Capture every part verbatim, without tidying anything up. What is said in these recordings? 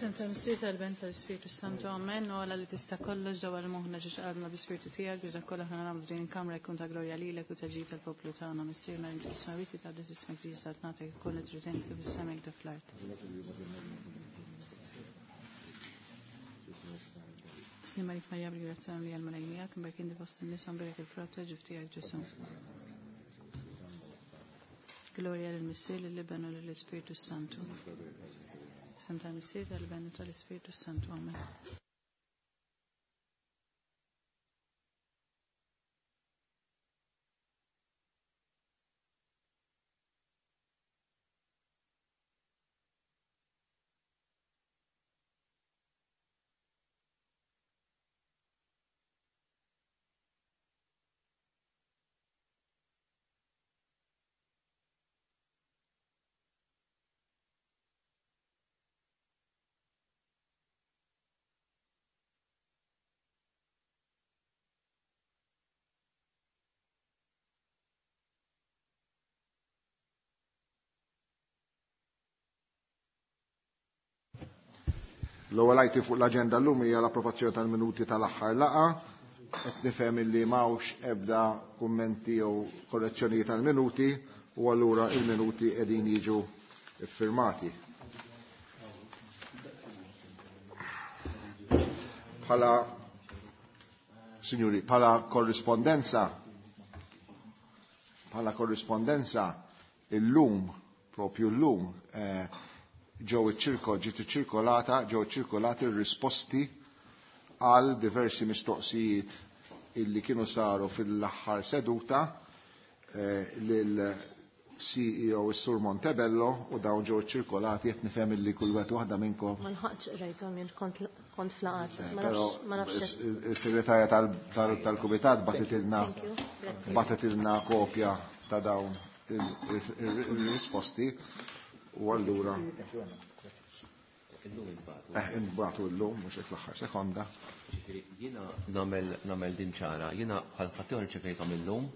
F'isem tal-Missier tal-Iben tal-Ispirtu Santu, amen. U Alla li tista' kollox dawwar moħħna ġiex qalbna bi-Spirtu tiegħek biex dak kollha aħna nagħmlu f'din il-kamra jkun ta' glorja lilek u ta' ġid tal-poplu tagħna. Missierna li inti fis-smewwiet jitqaddes ismek tiġi saltnatek ikun li trid int kif is-sema kif fl-art. Slima lik Marija bil-grazzja li għal-Mulej miegħek, imberk inti fost in-nisa mberek il-frott ta' ġuf tiegħek Ġesù. Glorja lill-Missier, lill-Iben u lill-Ispirtu Santu. F'isem tal-Missier, tal-Iben u tal-Ispirtu Santu. Amen. L-ewwel item fuq l-aġenda llum hija l-approvazzjoni tal-minuti tal-aħħar laqgħa. Qed nifhem illi m'hawnx ebda kummenti jew korrezzjonijiet tal-minuti u allura il-minuti qegħdin jiġu iffirmati. Bħala Signori, bħala korrispondenza bħala korrispondenza illum, propju llum, eh, ġew iċ-ċirko ġiet iċċirkolata, ġew iċċirkolati r-risposti għal diversi mistoqsijiet illi kienu saru fil-aħħar seduta eh, lil C E O is-Sur Montebello u dawn ġew iċċirkolati, qed nifhem illi kull wieħed waħda minnkom. Ma lħaqtx qrajthom jien, kont kont flaqat. Eh, Ma Però nafx ma nafx. is-segretarja tal-Kumitat bagħtitilna Thank you. Grazzi. bagħtitilna kopja ta' dawn il-risposti u allura Illum intbagħtu. eh, intbagħtu llum mhux hekk l-aħħar sekonda. Ġifieri jiena nagħmel nagħmel din ċara, jiena bħal ħaddieħor irċevejthom illum,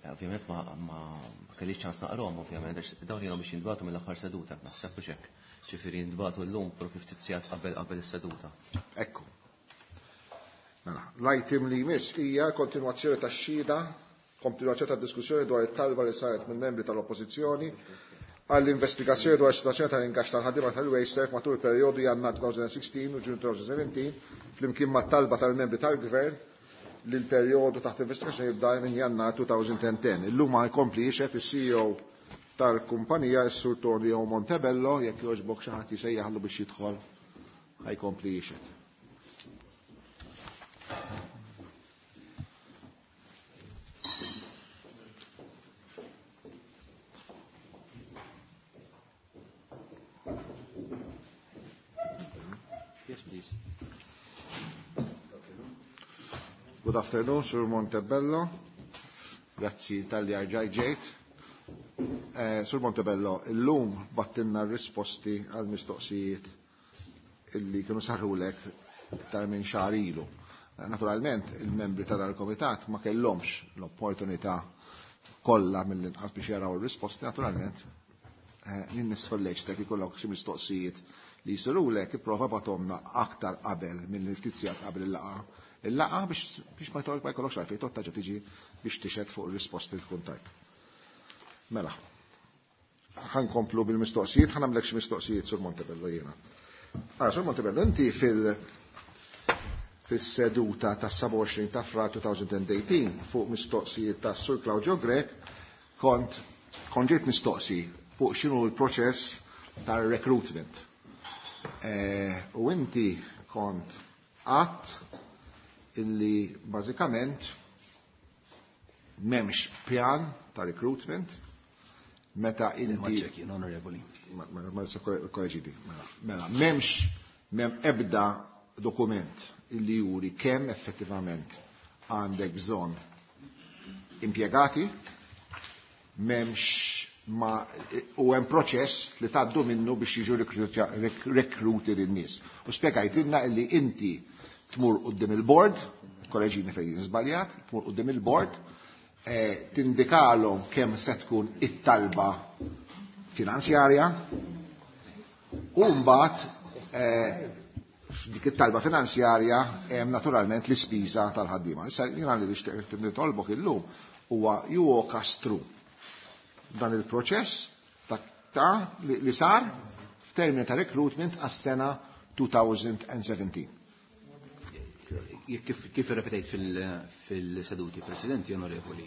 eh, ovvjament ma ma ma kellix ċans naqrahom ovvjament, għax dawn jiena biex jintbagħtu mill-aħħar seduta, naħseb hux hekk. Ġifieri jintbagħtu llum propju ftit sigħat qabel qabel is-seduta. Ekku. Mela, l-item li jmiss hija kontinwazzjoni tax-xhieda, kontinwazzjoni tad-diskussjoni dwar it-talba li saret mill-membri tal-Oppożizzjoni għall-investigazzjoni dwar is-sitwazzjoni tal-ingaġġ tal-ħaddiema tal-Wasteserv matul il-perjodu Jannar elfejn u sittax u Ġunju elfejn u sbatax flimkien mat-talba tal-membri tal-Gvern li l-perjodu taħt investigazzjoni jibda minn Jannar elfejn u għaxra. Illum ma jkompli jixhed is-C E O tal-kumpanija, is-Sur Tonio Montebello. Jekk jogħġbok xi ħadd jsejjaħlu biex jidħol, ħa jkompli jixhed. Yes, please. Good afternoon, Sur Montebello. Grazzi talli erġajt ġejt. Eh, Sur Montebello, illum bgħattilna risposti għal mistoqsijiet illi kienu sarulek iktar minn xahar ilu. Eh, Naturalment, il-membri ta' dal-komitat ma kellhomx l-opportunità kollha mill-inqas biex jaraw ir-risposti, naturalment. Eh, Jien nissolleċtek ikollok xi mistoqsijiet li jsirulek, ipprova ibgħathomlna aktar qabel mill-ftit sigħat qabel il-laqgħa. Il-laqgħa biex biex ma jkollok ma jkollokx għalfejn toqgħod tiġi biex tixhed fuq ir-risposti li tkun tajt. Mela, ħa nkomplu bil-mistoqsijiet, ħa nagħmlek xi mistoqsijiet, Sur Montebello, jiena. Ara, Sur Montebello, inti fil- fis-seduta ta' sebgħa u għoxrin ta' Frar elfejn u tmintax fuq mistoqsijiet ta' Sur Claudio Grech kont kont ġejt mistoqsi fuq x'inhu l-proċess tar-recruitment. Eh, u inti kont għedt illi bażikament m'hemmx pjan ta' recruitment meta inti Check in, onorevoli. ma ma ma korreġini, mela, mela, m'hemmx m'hemm ebda dokument illi juri kemm effettivament għandek bżonn impjegati, m'hemmx ma u hemm proċess li tgħaddu minnu biex jiġu rekruti lin-nies. U spjegajtilna illi inti tmur quddiem il-board, korreġini fejn żbaljat, tmur quddiem il-board, eh, tindikalhom kemm se tkun it-talba finanzjarja u mbagħad Dik it-talba finanzjarja hemm naturalment l-ispiża tal-ħaddiema. Issa jiena li nixtieq nitolbok illum huwa you walk us through dan il-proċess ta' li sar f'termini ta' recruitment għas-sena twenty seventeen. Kif, kif irrepetejt fil-seduti preċedenti, onorevoli,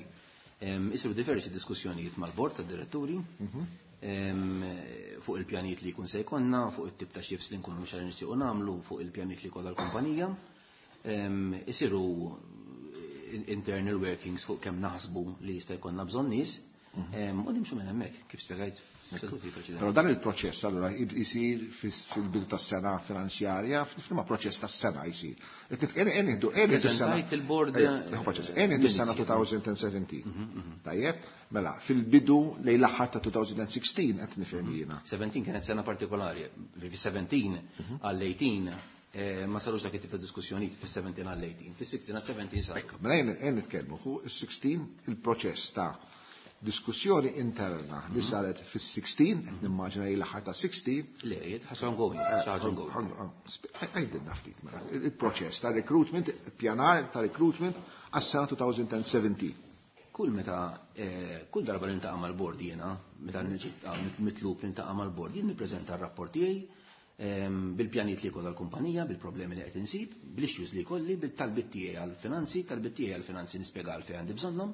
isiru diversi diskussjonijiet mal-bord tad-diretturi fuq il-pjanijiet li jkun se jkollna, fuq it-tip ta' shifts li nkunu xar nixtiequ nagħmlu, fuq il-pjanijiet li jkollha l-kumpanija. Isiru internal workings fuq kemm naħsbu li jista' jkollna bżonn nies. U nimxu minn hemmhekk, kif spjegajt seduti preċedenti. Però dan il-proċess allura jisir fil-bidu tas-sena finanzjarja, f'liema proċess tas-sena jsir? Preżentajt il-board. Nieħdu s-sena twenty seventeen. Tajjeb, mela, fil-bidu lejn l-aħħar ta' twenty sixteen qed nifhem jiena. seventeen kienet sena partikolari. Fi seventeen għall-eighteen ma sarux dak it-tip ta' diskussjonijiet fis-seventeen għall-eighteen. Fis-sixteen għal seventeen saru. Ekku, mela jien nitkellmu fuq is-sixteen, il-proċess ta' diskussjoni interna li saret fis-sixteen, qed nimmaġina li l-aħħar ta' sixteen. Le, ħaġa ongoing, ħaġa ongoing. Għajdilna ftit mela, il-proċess ta' recruitment, pjanar ta' recruitment għas-sena twenty seventeen. Kull meta, kull darba li niltaqa' mal-bord jiena, meta mitlub niltaqa' mal-bord, jien nippreżenta r-rapport tiegħi bil-pjanijiet li jkollha l-kumpanija, bil-problemi li qed insib, bil-issues li jkolli, bil-talbit tiegħi għall-finanzi, talbit tiegħi għall-finanzi nispjega għalfejn għandi bżonnhom.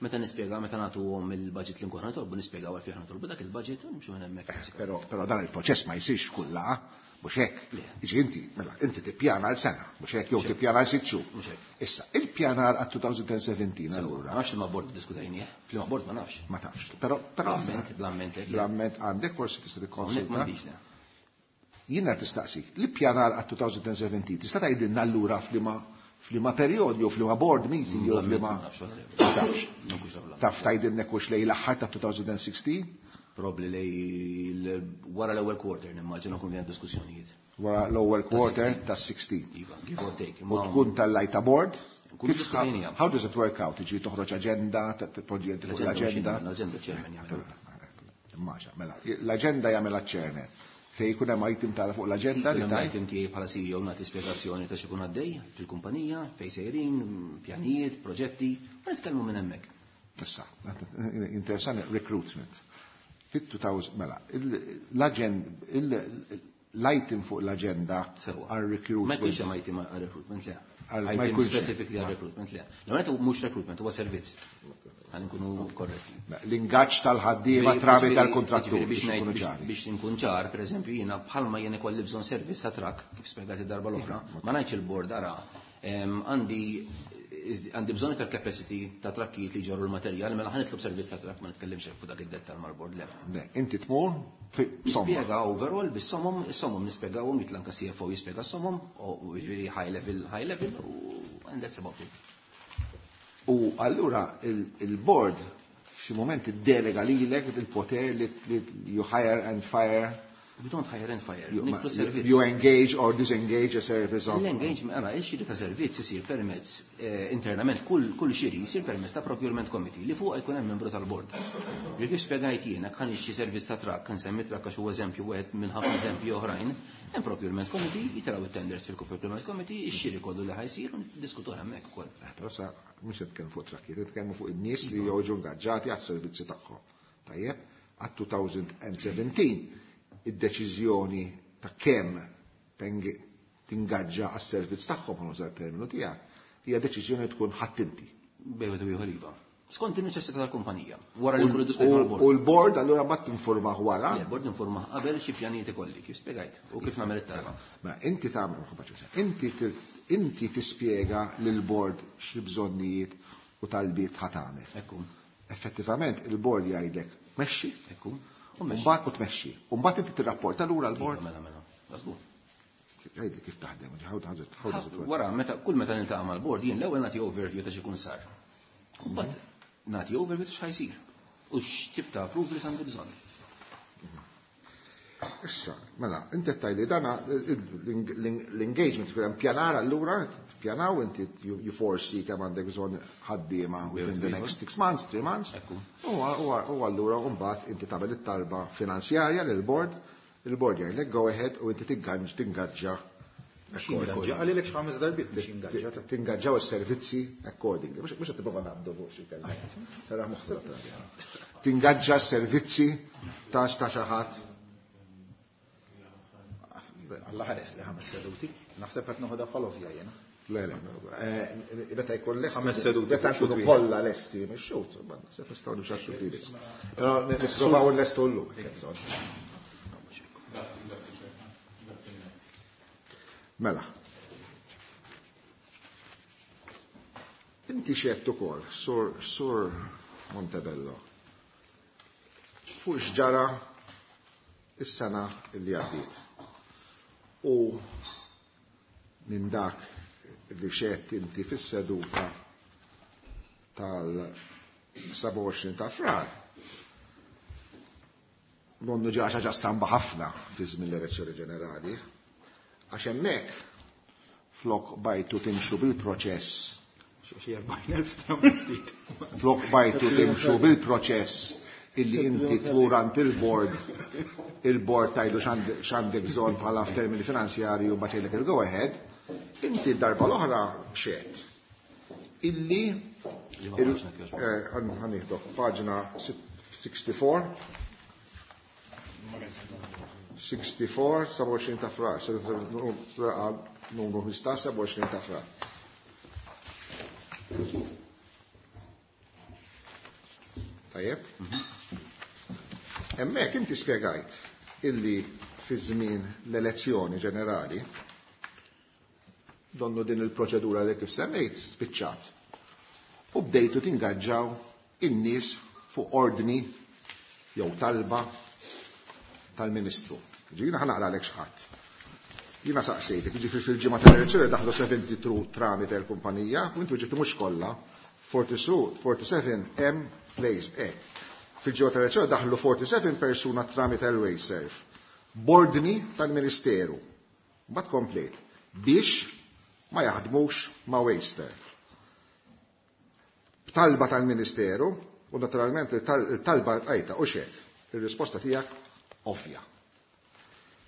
Meta nispjega, meta nagħtuhom il-budget li nkun nitolbu, nispjegaw għalfejn nitolbu dak il-budget u nimxu minn hemmhekk. Però però dan il-proċess ma jsirx kull laqgħa, mhux hekk? Jiġi inti, mela, inti tippjana għal sena, mhux hekk, jew tippjana għal sitt xhur. Mhux hekk. Issa, il-pjanar għal twenty seventeen allura. Ma nafx li ma bord diskutajnieh, fli ma bord ma nafx. Ma tafx. Però però Bl-amment, bl-amment. Bl-amment għandek, forsi tista' tikkonsulta. M'għandix, le. Jiena tistaqsik, l-pjanar għal twenty seventeen tista' tgħidilna allura f'liema f'liema perjodi jew f'liema board meeting jew f'liema Tafx. Taf tgħidilna hux lejn l-aħħar ta' twenty sixteen? Probably lej wara l-ewwel quarter nimmaġina kun hemm diskussjonijiet. Wara l-ewwel quarter ta' sixteen. Iva, give or take. U tkun tal-lajta board? Nkunu diskutejniha. How does it work out? Tiġi toħroġ agenda, tpoġġi inti fuq l-agenda? L-agenda chairman jagħmel. Immaġa, mela, l-agenda jagħmel chairman. Fej jkun hemm item tara fuq l-agenda li Hemm tajt. item tiegħi bħala C E O, nagħti spjegazzjoni ta' x'ikun għaddej fil-kumpanija, fejn sejrin, pjanijiet, proġetti, u nitkellmu minn hemmhekk. Issa, interessanti, recruitment. Fit-two thousand, mela, l-agenda, l-item fuq l-agenda Sewa. għal recruitment. Ma jkunx hemm item għal recruitment, le. Għal- ma Item jkunx hemm. specifically għal recruitment, le. L-għonet mhux recruitment, huwa servizz. Ħa nkunu korretti. L-ingaġġ tal-ħaddiema tramite tal-kontrattur Biex biex ngħid- ikunu biex- ċari. Biex nkun ċar, per eżempju, jiena bħalma jien ikolli bżonn servizz ta' truck, kif spjegat id-darba l-oħra, ma ngħidx il-board, ara, em, għandi għandi bżonn iktar capacity ta' trakkijiet li ġorru l-materjal, mela ħa nitlob servizz ta' truck, ma nitkellimx fuq dak id-dettal mal-board, le. Ne, inti tmur fi somma. Nispjega overall bis-somom, is-somom nispjegawhom, jitla anka C F O jispjega s-somom, u jiġifieri high level, high level, u and that's about it. U allura il- il-board f'xi moment iddelega lilek il-poter li li you hire and fire. We don't hire and fire, you, nitlu servizz. You engage or disengage a service of L-engagement, għara, il-xiri ta' servizz isir permezz eh, internament, kull, kull xiri jisir permezz ta' procurement committee li fuq jkun hemm membru tal-board. Li kif spjegajt jiena, kan xi servizz ta' truck, kan semmi truck għax huwa eżempju wieħed minn ħafna eżempji oħrajn, hemm procurement committee, jitilgħu it-tenders fil-procurement committee, ix-xiri kollu li ħa jsir u niddiskutuh hemmhekk ukoll. Eh, Però sa mhux qed nitkellmu fuq trakkiet, nitkellmu fuq in-nies li joġu ingaġġati għas-servizzi tagħhom. Tajjeb, għat-twenty seventeen id-deċiżjoni ta' kemm tengi- tingaġġa għas-servizz tagħhom, ħa nuża terminu tiegħek, hija deċiżjoni tkun ħadd inti. Bejwet u ieħor iva. Skont il-neċessità tal-kumpanija. Wara li U nkunu diskutejna u- mal-board. u l-board allura ma tinformah wara. Le, board informa qabel xi pjanijiet ikolli, kif spjegajt, u kif nagħmel it-talba. Ma inti tagħmel, inti ti- inti tispjega lill-board xi bżonnijiet u talbiet ħa tagħmel. Ekku, Effettivament il-board jgħidlek mexxi, ekku. U mexxi. mbagħad u tmexxi. U mbagħad inti tirrapporta lura l-board. Mela, mela. Żgur. Jgħidli kif taħdem, how does it how does it work? Wara, meta kull meta niltaqa' mal-board, jien l-ewwel nagħti overview ta' x'ikun sar. U mbagħad nagħti overview ta' x'ħa jsir. U x'tip ta' approvals għandi bżonn. Issa, mela, inti tgħidli dana l-engagement tkun hemm pjanar allura, pjanaw inti you you foresee kemm għandek bżonn ħaddiema within the next six months, three months. Ekku. U u allura mbagħad inti tagħmel it-talba finanzjarja lil board Il-board jgħidlek go ahead u inti tingaġġa. Għalilek x'ħames darbiet biex ingaġġa. Tingaġġaw is-servizzi accordingly. Mhux qed tipprova nabdu fuq xi kelma. Sara moħħu. Tingaġġa s-servizzi ta' ta' xi ħadd. Alla ħares li ħames seduti. Naħseb qed noħodha bħal jiena. Le, le, meta jkun lesti. Ħames seduti. Meta jkunu kollha lesti mix-xut, naħseb nistgħu nimxu għax-xut. Però nipprovaw nlestu llum. Mela. Inti xedt ukoll, Sur Sur Montebello, fuq x'ġara is-sena li għaddiet. U minn dak li xedt inti fis-seduta tal-sebgħa u għoxrin ta' Frar. Nonnu ġara xi ħaġa stramba ħafna fi żmien l-elezzjoni ġenerali, għax hemmhekk flok bajtu timxu bil-proċess. Xi erbgħin elf stramba ftit. Flok bajtu timxu bil-proċess illi inti tmur għand il-board, il-board tajlu x'għandek bżonn bħala f'termini finanzjarji u mbagħad jgħidlek il-go ahead, inti d-darba l-oħra xedt illi ħanieħdok paġna sixty-four, sixty-four, sebgħa u għoxrin ta' Frar, numru ħmistax, sebgħa u għoxrin ta' Frar. Tajjeb? Hemmhekk inti spjegajt illi fi żmien l-elezzjoni ġenerali donnu din il-proċedura li kif semmejt spiċċat. U bdejtu tingaġġaw in-nies fuq ordni jew talba tal-Ministru. Ġifieri ħa naqralek x'ħadd. Jiena saqsejtek, jiġifieri fil-ġimgħa tal-elezzjoni daħlu seventy-two tramite l-kumpanija, u intu ġibtu mhux kollha, forty-seven hemm placed hekk. Fil-ġimgħa tal-elezzjoni daħlu forty-seven persuna tramite l-Wasteserv. Bordni tal-Ministeru. Mbagħad komplejt biex ma jaħdmux ma' Wasteserv. B'talba tal-Ministeru, u naturalment il-talba għajta u xek, il-risposta tiegħek ovvja.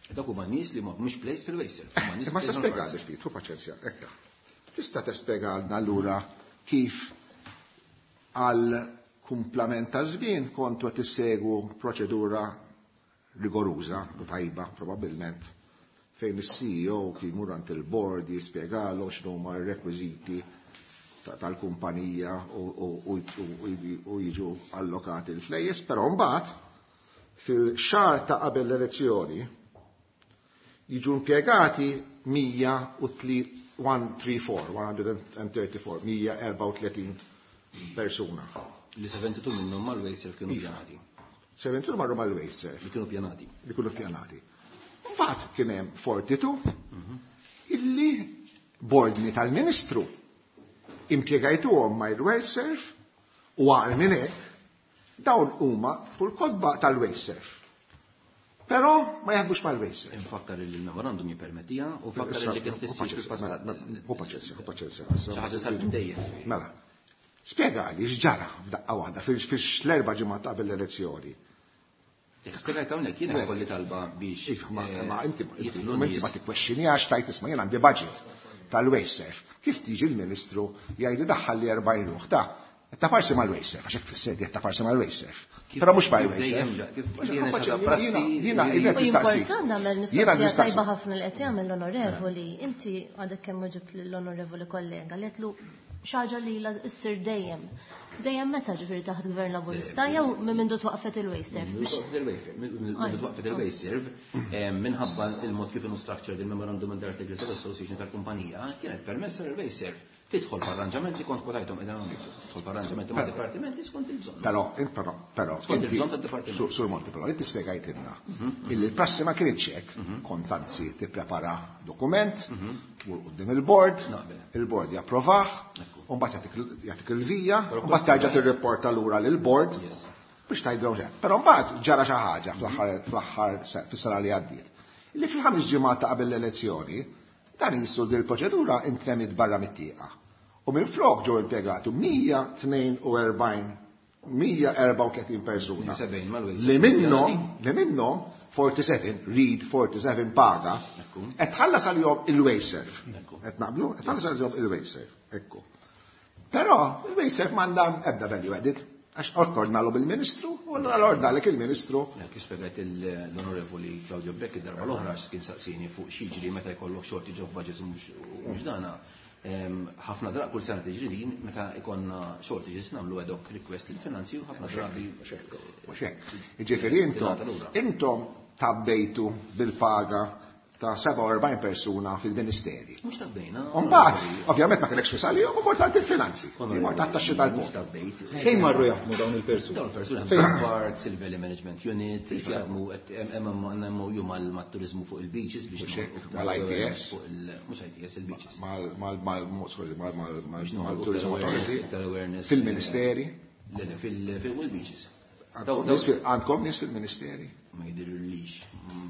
Dak huma nies li mhumiex placed fil-Wasteserv. Ma se spjegali ftit, hu paċenzja, ekka. Tista' tispjegalna allura kif għal kumplament ta' żmien kontu qed issegwu proċedura rigoruża u tajba probabbilment fejn is-C E O kien jmur għand il-board jispjegalu x'inhuma r-rekwiżiti tal-kumpanija u jiġu allokati l-flejjes, però mbagħad fil-xahar ta' qabel l-elezzjoni jiġu impjegati mija u one three four, one hundred and thirty-four, mija erbgħa u tletin persuna. Li seventy-two minnhom mal-Wasteserv kienu pjanati. seventy-two marru mal-Wasteserv. Li kienu pjanati. Li kienu pjanati. Mbagħad kien hemm forty-two illi bordni tal-Ministru impjegajtuhom mal-Wasteserv u għar minn hekk dawn huma fuq il-kotba tal-Wasteserv. Però ma jaħdmux mal-Wasteserv. Infakkar li l-memorandum jippermettija u fakkar li kien tissir fil-passat. Hu paċenzja, hu paċenzja. Xi ħaġa sar minn dejjem. Mela, spjegali x'ġara f'daqqa waħda fil-erba' ġimgħat qabel l-elezzjoni. Spjegajt hawnhekk jiena kolli talba biex. Iva, ma inti ma tikkwexxinjax tajt isma' jien għandi budget tal-Wasteserv. Kif tiġi l-Ministru jgħidu daħħal li erbgħin ruħ ta' ta' parsi mal-Wasteserv, għax hekk tfisser ta' parsi mal-Wasteserv. Però mhux mal-Wasteserv. Jiena nistaqsi. Important nagħmel mistoqsija tajba ħafna li qed jagħmel l-onorevoli. Inti għadek kemm ġibt l-onorevoli kollega li qedlu xi ħaġa li ilha ssir dejjem. Dejjem meta ġifieri taħt gvern Laburista jew minn mindu twaqfet il-Wasteserv? Minn twaqfet il-Wasteserv minħabba il-mod kif inhu structured il-Memorandum and Articles of Association tal-kumpanija kienet permessa l-Wasteserv tidħol f'arranġamenti kont kwotajthom qegħdin hawnhekk, tidħol f'arranġamenti ma' dipartimenti skont il-bżonn. Però, però, però, skont il-bżonn tad-dipartiment. Sur Monti, però, inti spjegajtilna illi l-prassi ma kienx hekk, kont anzi tipprepara dokument, tmur quddiem il-board, il-board japprovah, u mbagħad jagħtik il-vija, u mbagħad terġa' tirripporta lura lill-board biex tgħidlhom xejn. Però mbagħad ġara xi ħaġa fl-aħħar fis-sena li għaddiet. Illi fil-ħames ġimgħat ta' qabel l-elezzjoni, dan jissu din il-proċedura intremit barra mit-tieqa. U minn flok ġew impjegati mija tnejn u erbgħin mija erbgħa u tletin persuna li minnhom li minnhom forty-seven, read forty-seven paga, qed tħallas għalihom il-WasteServ. Qed naqblu? Qed tħallas għalihom il-WasteServ. Ekku. Però il-WasteServ m'għandha ebda value added. Għax ordnalu bil-Ministru, u allura l-ordnalek il-Ministru. Kif spjegat l-Onorevoli Claudio Grech id-darba l-oħra kien saqsini fuq x'jiġri meta jkollok shortage of budgets u mhux dana. Ħafna drabi kull sena tiġri din meta ikonna shortages nagħmlu ad hoc request lill-finanzi u ħafna drabi. Mhux hekk. Jiġifieri intom intom tabbejtu bil-paga ta' sebgħa u erbgħin persuna fil-ministeri. Mhux tabbejna. Mbagħad, ovvjament ma kellekx flus għalihom, u mort il-finanzi. Mort għat-taxxi tal-bord. Fejn marru jaħdmu dawn il-persuni? Dawn il-persuni jaħdmu Parks, il-Valley Management Unit, jaħdmu hemm M O U mal-turizmu fuq il-beaches biex mal-I T S. Mhux I T S, il-beaches. Mal-Tourism Authority. Fil-ministeri. Fil-beaches. Għandkom nies fil-ministeri? Ma jidirlix.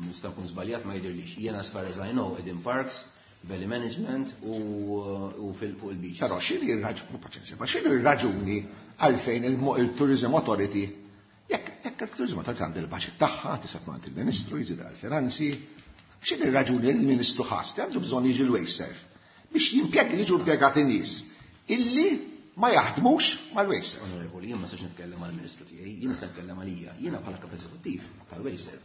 Nista' nkun żbaljat, ma jidirlix. Jiena as far as I know, qegħdin Parks, Valley Management u fuq il-beaches. Però x'inhi r-raġuni, paċenzja, ma x'inhi r-raġuni għalfejn il-Tourism Authority, jekk il-Tourism Authority għandha il-budget tagħha, tista' tmur għand il-Ministru, jżid għall-finanzi, x'inhi r-raġuni li l-Ministru ħass li għandu bżonn jiġi l-WasteServ biex jimpjeg jiġu impjegati nies illi ma jaħdmux mal-WasteServ. Onorevoli, jien ma nistax nitkellem għall-Ministru tiegħi, jien nista' nitkellem għalija, jiena bħala kap eżekuttiv tal-WasteServ.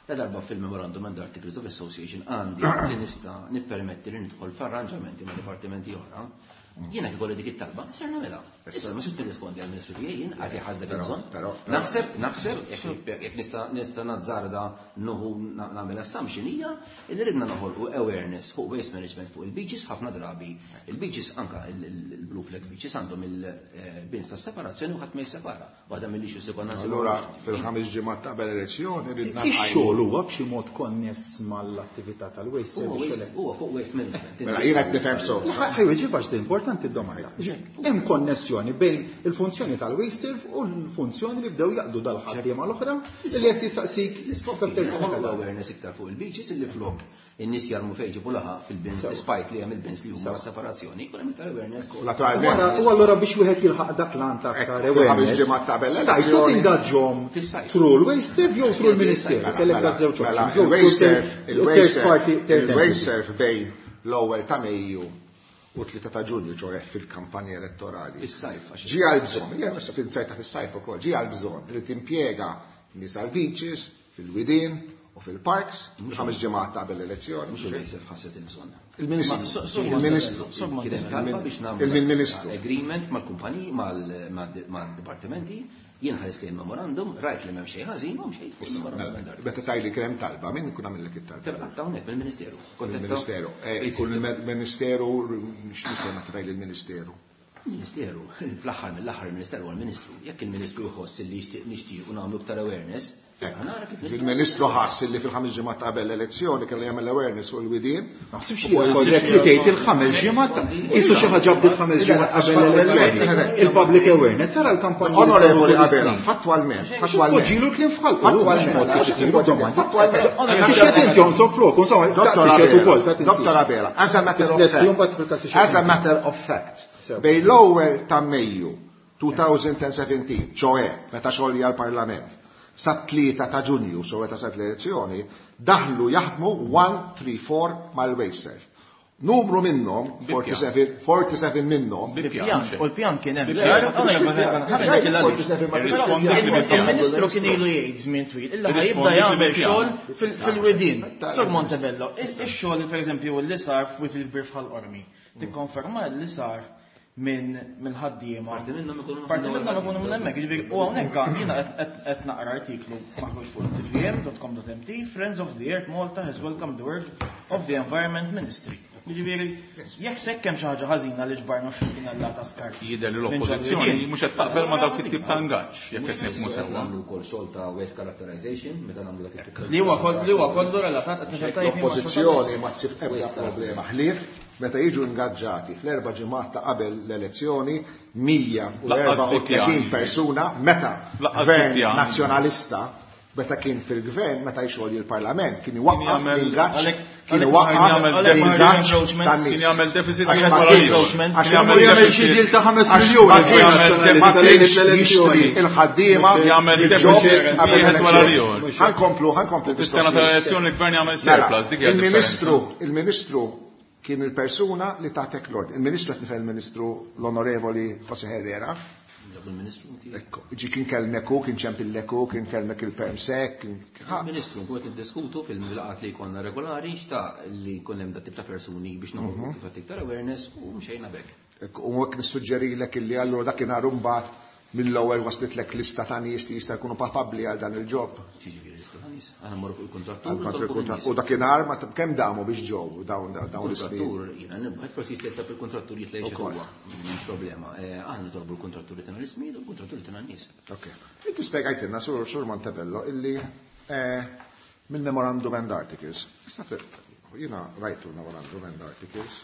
La darba fil-Memorandum and Articles of Association għandi li nista' nippermetti li nidħol f'arranġamenti ma' dipartimenti oħra. Jiena kif ikolli dik it-talba, ser nagħmilha. Issa ma nistax nirrispondi għall-Ministru tiegħi, jien għad jħass dak il-bżonn. Naħseb, naħseb, jekk nista' nista' nazzarda nuħu nagħmel assumption hija li ridna noħolqu awareness fuq waste management fuq il-beaches ħafna drabi. Il-beaches anka il-blue flag beaches għandhom il-bins ta' separazzjoni u ħadd ma jissepara. Waħda mill-issues li konna nsibu. Allura fil-ħames ġimgħat ta' qabel elezzjoni ridna Ix-xogħol huwa b'xi mod konness mal-attività tal-waste service. Huwa fuq waste management. Mela jiena qed nifhem so. Ħajja ġibax din importanti d-domanda. Hemm konnessjoni bejn il-funzjoni tal-WasteServ u l-funzjoni li bdew jaqdu dal-ħaddiema l-oħra li qed jistaqsik l-iskop tal-awareness iktar fuq il-beaches illi flok in-nies jarmu fejn ġibu laħaq fil-bins, despite li hemm il-bins li huma separazzjoni, jkun hemm iktar awareness. U allura biex wieħed jilħaq dak l-għan ta' aktar awareness. Stajtu tingaġġhom through l-WasteServ jew through l-Ministeru, kellek da żewġ Il-WasteServ bejn l-ewwel ta' Mejju u tlieta ta' Ġunju, ċoħe fil-kampanja elettorali. Fis-sajf, għax Ġie għal-bżonn, jien issa fil-sajf fis-sajf ukoll, ġie għal-bżonn li timpjega nies għall-beaches, fil-widien u fil-parks, ħames ġimgħat qabel l-elezzjoni. Mhux il-WasteServ ħasset il-bżonn. Il-Ministru. Il-Ministru. Kien hemm talba biex nagħmlu Il-Ministru. agreement mal-kumpaniji, mal-dipartimenti, jien ħares li memorandum, rajt li m'hemm xejn ħażin, m'hemm xejn fuq il-memorandum. Meta tgħidli kien hemm talba, min ikun għamillek it-talba? Talba hawnhekk mill-Ministeru. Il-Ministeru. Ikun il-Ministeru, x'nifhem meta tgħidli l-Ministeru? Il-Ministeru, fl-aħħar mill-aħħar il-Ministeru huwa l-Ministru. Jekk il-Ministru jħoss li jixtieq nixtiequ nagħmlu iktar awareness, nara kif nistgħu. Il-Ministru ħass li fil-ħames ġimgħat qabel l-elezzjoni kellu jagħmel awareness fuq il-widien. Ma ħsibx li korrett li tgħid il-ħames ġimgħat, qisu xi ħaġa bdiet ħames ġimgħat qabel l-elezzjoni. Il-public awareness sara l-kampanja. Onorevoli Abela, fattwalment, fattwalment. Poġġilu kliem f'ħalqu. Fattwalment. Fattwalment. Tixhed inti jonsoq flok, insomma, tixhed ukoll. Dottor Abela, as a matter of fact. As a matter of fact. Bejn l-ewwel ta' Mejju twenty seventeen, ċoe meta xogħol għall-Parlament, sa tlieta ta' Ġunju, so meta sat l-elezzjoni, daħlu jaħdmu one three four mal-WasteServ. Numru minnhom, forty-seven minnhom. U l-pjan kien hemm. Il-Ministru kien ilu jgħid żmien twil, illa ħajibda jagħmel xogħol fil-widien. Sur Montebello, ix-xogħol pereżempju li sar f'Wied il-Kbir f'Ħal Qormi, tikkonferma li sar minn mill-ħaddiema. Parti minnhom ikunu Parti minnhom ikunu minn hemmhekk, jiġifieri u hawnhekk jiena qed naqra artiklu maħruġ fuq T V M dot com dot M T, Friends of the Earth Malta has welcomed the work of the Environment Ministry. Jiġifieri jekk sekk hemm xi ħaġa ħażina li ġbarna xi tunellata skart. Jidher li l-oppożizzjoni mhux qed taqbel ma' dawk it-tip ta' ingaġġ, jekk qed nifhmu sewwa. Nagħmlu wkoll xogħol ta' waste characterization meta nagħmlu dak it-tip ta' Li huwa kollu, li huwa kollu relatat qed nifhem tajjeb ma' L-oppożizzjoni ma tsib ebda problema ħlief meta jiġu ingaġġati fl-erba' ġimgħat ta' qabel l-elezzjoni mija u Laqqas erbgħa u tletin bi pjan. persuna meta Laqqas gvern bi pjan. nazzjonalista Meta kien fil-gvern, meta jxogħol il-Parlament, kien iwaqqaf l-ingaġġ, kien iwaqqaf l-ingaġġ tan-nies. Kien jagħmel deficit wieħed wara l-ieħor. Għax jagħmel xi deal ta' ħames miljuni. Ma kienx jixtri il-ħaddiema jagħmel deficit wieħed wara l-ieħor. Ħa nkomplu, ħa nkomplu. Fis-sena tal-elezzjoni l-gvern jagħmel surplus, dik hija. Il-Ministru, il-Ministru kien il-persuna li tatek l-ordni. Il-Ministru qed nifhem il-Ministru l-Onorevoli José Herrera. Ekku, ġi kien kellmek hu, kien ċempillek hu, kien kellmek il-permsek. Il-Ministru nkun qed niddiskutu fil-laqgħat li jkollna regolari xtaq li jkun hemm dat tip ta' persuni biex noħolqu kif iktar awareness u mxejna b'hekk. Ekku, u hekk nissuġġerilek illi allura dakinhar imbagħad mill-ewwel waslitlek lista ta' nies li jista' jkunu papabbli għal dan il-ġob. Ġifieri lista ta' nies, aħna mmorru fuq il-kontrattur. U dakinhar ma kemm damu biex ġew dawn dawn il-kontrattur, jiena nibgħat forsi jista' il-kontrattur jitla' jixed huwa. M'hemmx problema. Aħna nitolbu l-kontratturi tagħna l-ismijiet u l-kontratturi tagħna n-nies. Ok. Inti spjegajtilna sur Sur Montebello illi mill-Memorandum and Articles. Jiena rajtu l-Memorandum and Articles.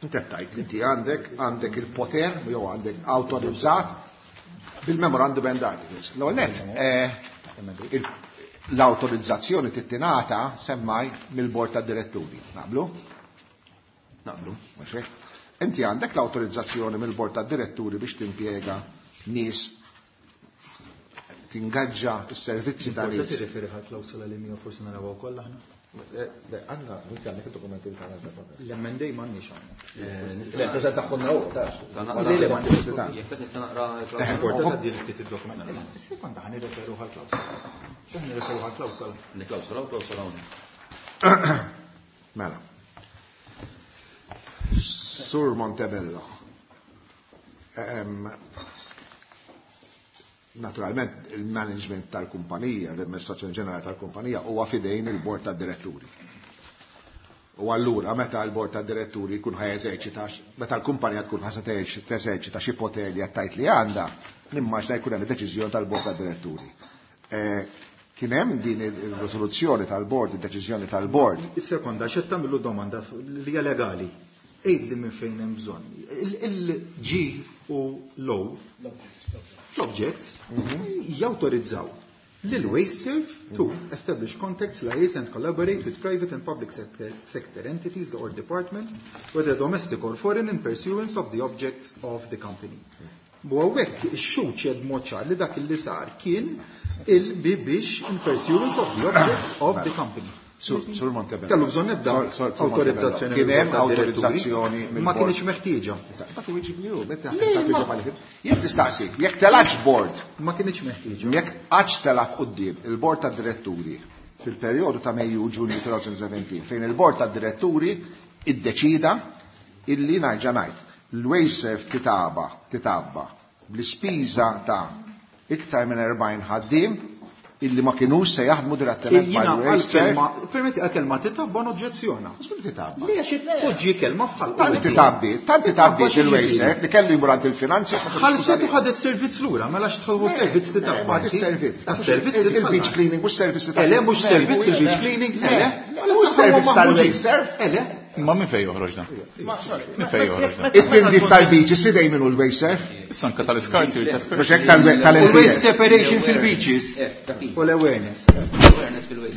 Inti tajt li inti għandek għandek il-poter jew għandek awtorizzat bil-Memorandum and Articles. L-ewwel nett l-awtorizzazzjoni tittingħata semmaj mill-Bord tad-Diretturi. Naqblu? Naqblu. Mhux hekk? Inti għandek l-awtorizzazzjoni mill-Bord tad-Diretturi biex timpjega nies tingaġġa s-servizzi ta' nies. Inti tirreferi għall-klawsola li mija forsi narawha wkoll aħna? Le, għandna, inti għandek il-dokumenti li tagħna. L-M and A m'għandniex għandna. Le, preżentahulna hu, tax. Le, le, m'għandix. Jekk qed nista' naqra l-klawsola. Tgħaddi ftit id-dokument. Sekonda ħa nirreferu għall-klawsola. X'aħna nirreferu għall-klawsola? Klawsola u klawsola hawnhekk. Mela. Sur Montebello. Naturalment il-management tal-kumpanija, l-amministrazzjoni ġenerali tal-kumpanija huwa fidejn il-bord tad-diretturi. U allura meta l-bord tad-diretturi jkun ħa jeżerċita, meta l-kumpanija tkun ħa teżerċita xi poter li qed tgħid li għandha, nimmaġna jkun hemm deċiżjoni tal-bord tad-diretturi. Kien hemm din ir-riżoluzzjoni tal-bord, id-deċiżjoni tal-bord. Sekonda, x'qed tagħmlu domanda li hija legali. Għidli minn fejn hemm bżonn. Il-G u l-O l-objects jawtorizzaw lil WasteServ to establish contacts, liaise and collaborate with private and public sector, sector entities or departments, whether domestic or foreign, in pursuance of the objects of the company. U hawnhekk ix-xhud xed mod ċar li dak li sar kien il-biex in pursuance of the objects of the company. Sur Montebello. Kellu bżonn ebda awtorizzazzjoni. Kien hemm awtorizzazzjoni. Ma kienx meħtieġa. Jekk tistaqsi, jekk telax board. Ma kienx meħtieġa. Jekk qatt telat quddiem il-bord tad-diretturi fil-perjodu ta' Mejju u Ġunju elfejn u sbatax fejn il-bord tad-diretturi iddeċida illi nerġa' ngħid l-WasteServ titaba titabba bl-ispiża ta' iktar minn erbgħin ħaddiem illi ma kienux se jaħdmu direttament mal-WasteServ. Permetti għal-kelma titabba noġġezzjona. X'bil titabba? Li għax poġġi kelma f'ħalq. Tant titabbi, tant titabbi il-WasteServ li kellu jmur għand il-finanzi. Ħalset u ħadet servizz lura, mela x'tħolbu servizz titabba. Ma servizz. Servizz il-beach cleaning mhux servizz titabba. Ele mhux servizz il-beach cleaning, ele. Mhux servizz tal-WasteServ. Ele. Ma minn fejn joħroġ dan? Minn fejn joħroġ dan? It-tindif tal-beaches idej minnu l-WasteServ. Issa anke tal-iskarti u tal-iskarti. Mhux hekk tal-L P S. Waste separation fil-beaches. U l-awareness.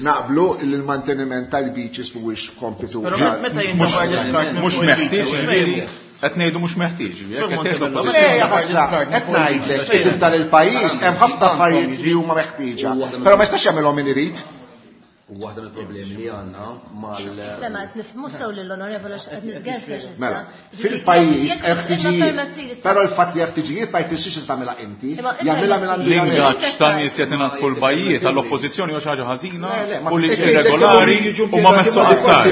Naqblu li l-manteniment tal-beaches mhuwiex kompitu. Mhux meħtieġ, ġifieri qed ngħidu mhux meħtieġ. Qed ngħidlek kif f'dan il-pajjiż hemm ħafna affarijiet li huma meħtieġa, però ma jistax jagħmilhom min irid. U waħda mill-problemi li għandna mal Le ma qed nifhmu sew lill-onorevole x'qed nitgerfex issa. Mela, fil-pajjiż hemm ħtiġijiet, però l-fatt li hemm ħtiġijiet ma jfissirx li tagħmilha inti, jagħmilha minn għandu L-ingaġġ ta' nies qed ingħatfu l-bajjiet għall-oppożizzjoni huwa xi ħaġa ħażina u li irregolari u ma messu qatt.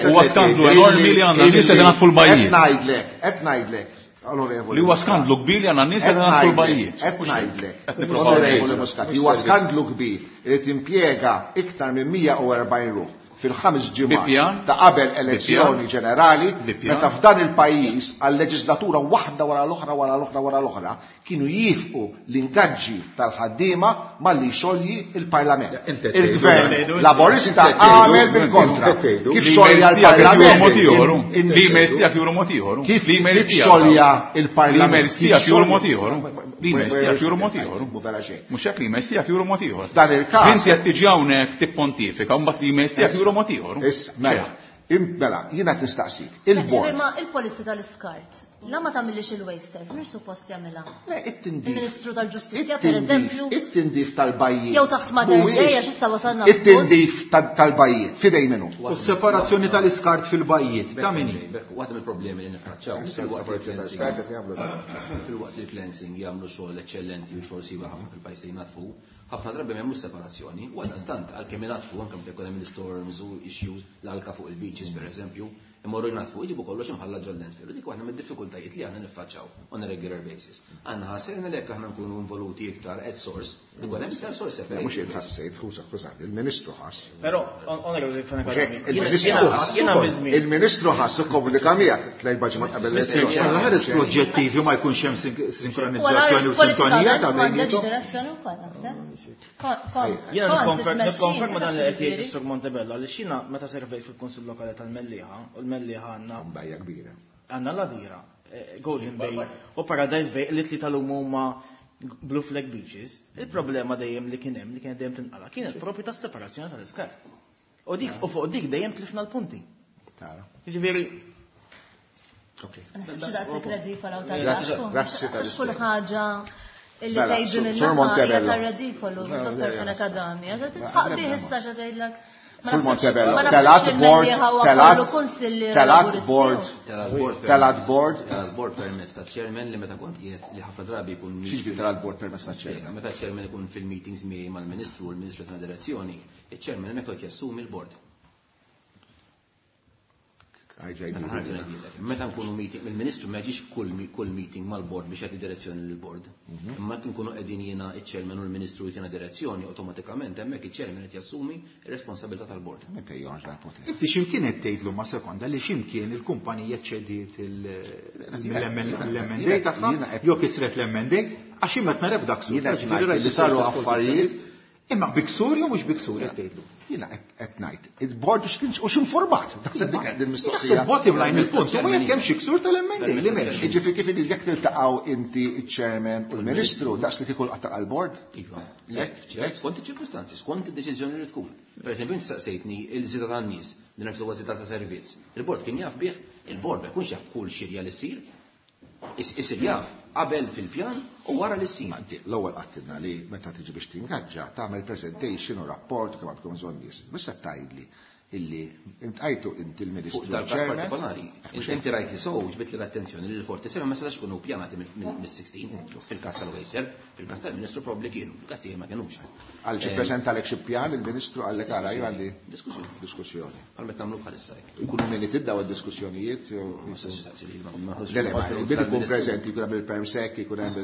Huwa skandlu enormi li għandna nies qed ingħatfu l-bajjiet. Qed ngħidlek, qed ngħidlek. Li huwa skandlu kbir li għandna nies qed ingħatfu l-bajjiet. Qed ngħidlek. Onorevoli Muscat, li huwa skandlu kbir li timpjega iktar minn mija u erbgħin ruħ fil-ħames ġimgħat ta' qabel elezzjoni ġenerali, meta f'dan il-pajjiż għal leġislatura waħda wara l-oħra wara l-oħra wara l-oħra kienu jifqu l-ingaġġi tal-ħaddiema malli jxolji il-Parlament. Il-Gvern Laburista għamel bil-kontra. Kif xolja l-Parlament? L-emails tiegħek juru mod ieħor. Kif xolja il-Parlament? L-emails tiegħek juru mod ieħor. L-emails tiegħek juru mod ieħor. Mhux hekk l-emails tiegħek juru mod ieħor. Dan il-każ. Inti qed tiġi hawnhekk tippontifika u mbagħad l-emails tiegħek juru mod ieħor. Issa, mela, mela, jiena qed nistaqsik. Il-bord. Ma il-policy tal-iskart, la ma tagħmilx il-waster, mhux suppost jagħmilha. Le, it-tindif. Il-Ministru tal-Ġustizzja pereżempju. It-tindif tal-bajjiet. Jew taħt Mater Dei għax issa wasalna. It-tindif tal-bajjiet, fidej minnu. U s-separazzjoni tal-iskart fil-bajjiet, ta' min hi? Waħda mill-problemi li niffaċċaw fil-waqt li cleansing jagħmlu xogħol eċċellenti u xogħol siewa ħafna fil-pajjiż li jnatfu, ħafna drabi m'hemmx separazzjoni, u għaldaqstant għalkemm inatfu anke meta jkun hemm l-storms u issues l-alka fuq il-beaches pereżempju, imorru jnatfu jġibu kollox imħalla ġol landfill. U dik waħda mid-diffikultajiet li aħna niffaċċaw on a regular basis. Aħna ħassejna li jekk aħna nkunu involuti iktar at source, ikun hemm iktar source separation. Mhux jien ħassejt, ħusa ħusa, il-Ministru ħass. Però onorevoli Il-Ministru ħass ikkomunika miegħek tliet ġimgħat qabel l-elezzjoni. Alla ħares l-oġġettivi ma jkunx hemm sinkronizzazzjoni u sintonija ta' bejniethom. Jiena nikkonferma dan li qed jgħid is-Sur Montebello għaliex jiena meta servejt fil-Kunsill Lokali tal-Mellieħa u l-Mellieħa għandna bajja kbira. Għandna l-Għadira, Golden Bay u Paradise Bay li tlieta l huma Blue Flag Beaches. Il-problema dejjem li kien hemm li kienet dejjem tinqala kienet propju tas-separazzjoni tal-iskart. U dik u fuq dik dejjem tlifna l-punti. Tara. Jiġifieri Okej. Daqshekk redikola u tal-għaxku. Kull ħaġa illi tgħidu minn tar-redikolu, Dottor Fenech Adami. Titħaq bih issa xa tgħidlek. Sur Montebello, telat board, telat, telat board, telat board, telat board permezz ta' chairman li meta kont qiegħed li ħafna drabi jkun. X'jiġifieri telat board permezz ta' chairman? Meta chairman ikun fil-meetings miegħi mal-Ministru u l-Ministru ta' direzzjoni, il-chairman hemmhekk jassumi l-board. Meta nkunu meeting, il-Ministru ma jiġix kull meeting mal-board biex jagħti direzzjoni lill-board. Imma nkunu qegħdin jiena iċ-chairman u l-Ministru jtina direzzjoni, awtomatikament hemmhekk iċ-chairman qed jassumi r-responsabilità tal-board. Inti x'imkien qed tgħidlu ma' sekonda li x'imkien il-kumpanija ċediet l-M and A tagħha jew kisret l-M and A għax imma qed nara b'dak ksur. Li saru affarijiet. Imma biksur jew mhux biksur qed tgħidlu? Jiena qed ngħid, il-bord u x'informat. Daħseb dik qed il-mistoqsija. Bottom line il-punt, u jekk hemm xi ksur tal-M and A li m'hemmx. Jiġifieri kif jekk tiltaqgħu inti iċ-chairman u l-Ministru daqs li kieku qatta' għall-bord? Iva. Skont iċ-ċirkustanzi, skont id-deċiżjoni li tkun. Pereżempju inti saqsejtni il-żieda tan-nies li nifsu huwa żieda ta' servizz. Il-bord kien jaf bih, il-bord ma jkunx jaf kull xirja li ssir. Isir jaf qabel fil-pjan u wara li ssir. L-ewwel qattilna li meta tiġi biex tingaġġa tagħmel presentation u rapport kemm għandkom bżonn nies. Issa tgħidli illi intqajtu inti l-Ministru. Fuq dal-każ partikolari, inti rajt li sow ġbit li l-attenzjoni li l-forty-seven ma setax ikunu pjanati mis-sixteen fil-każ tal-Waster, fil-każ tal-Ministru probabbli kienu, fil-każ tiegħi ma kinux. Għal xi preżentalek xi pjan il-Ministru għallek ara jew għandi diskussjoni. Diskussjoni. Għal meta nagħmlu bħalissa hekk. Ikunu min tiddaw id-diskussjonijiet jew ma setax li ma Le le, il-bid ikun preżenti, jkun hemm il-permsek, ikun hemm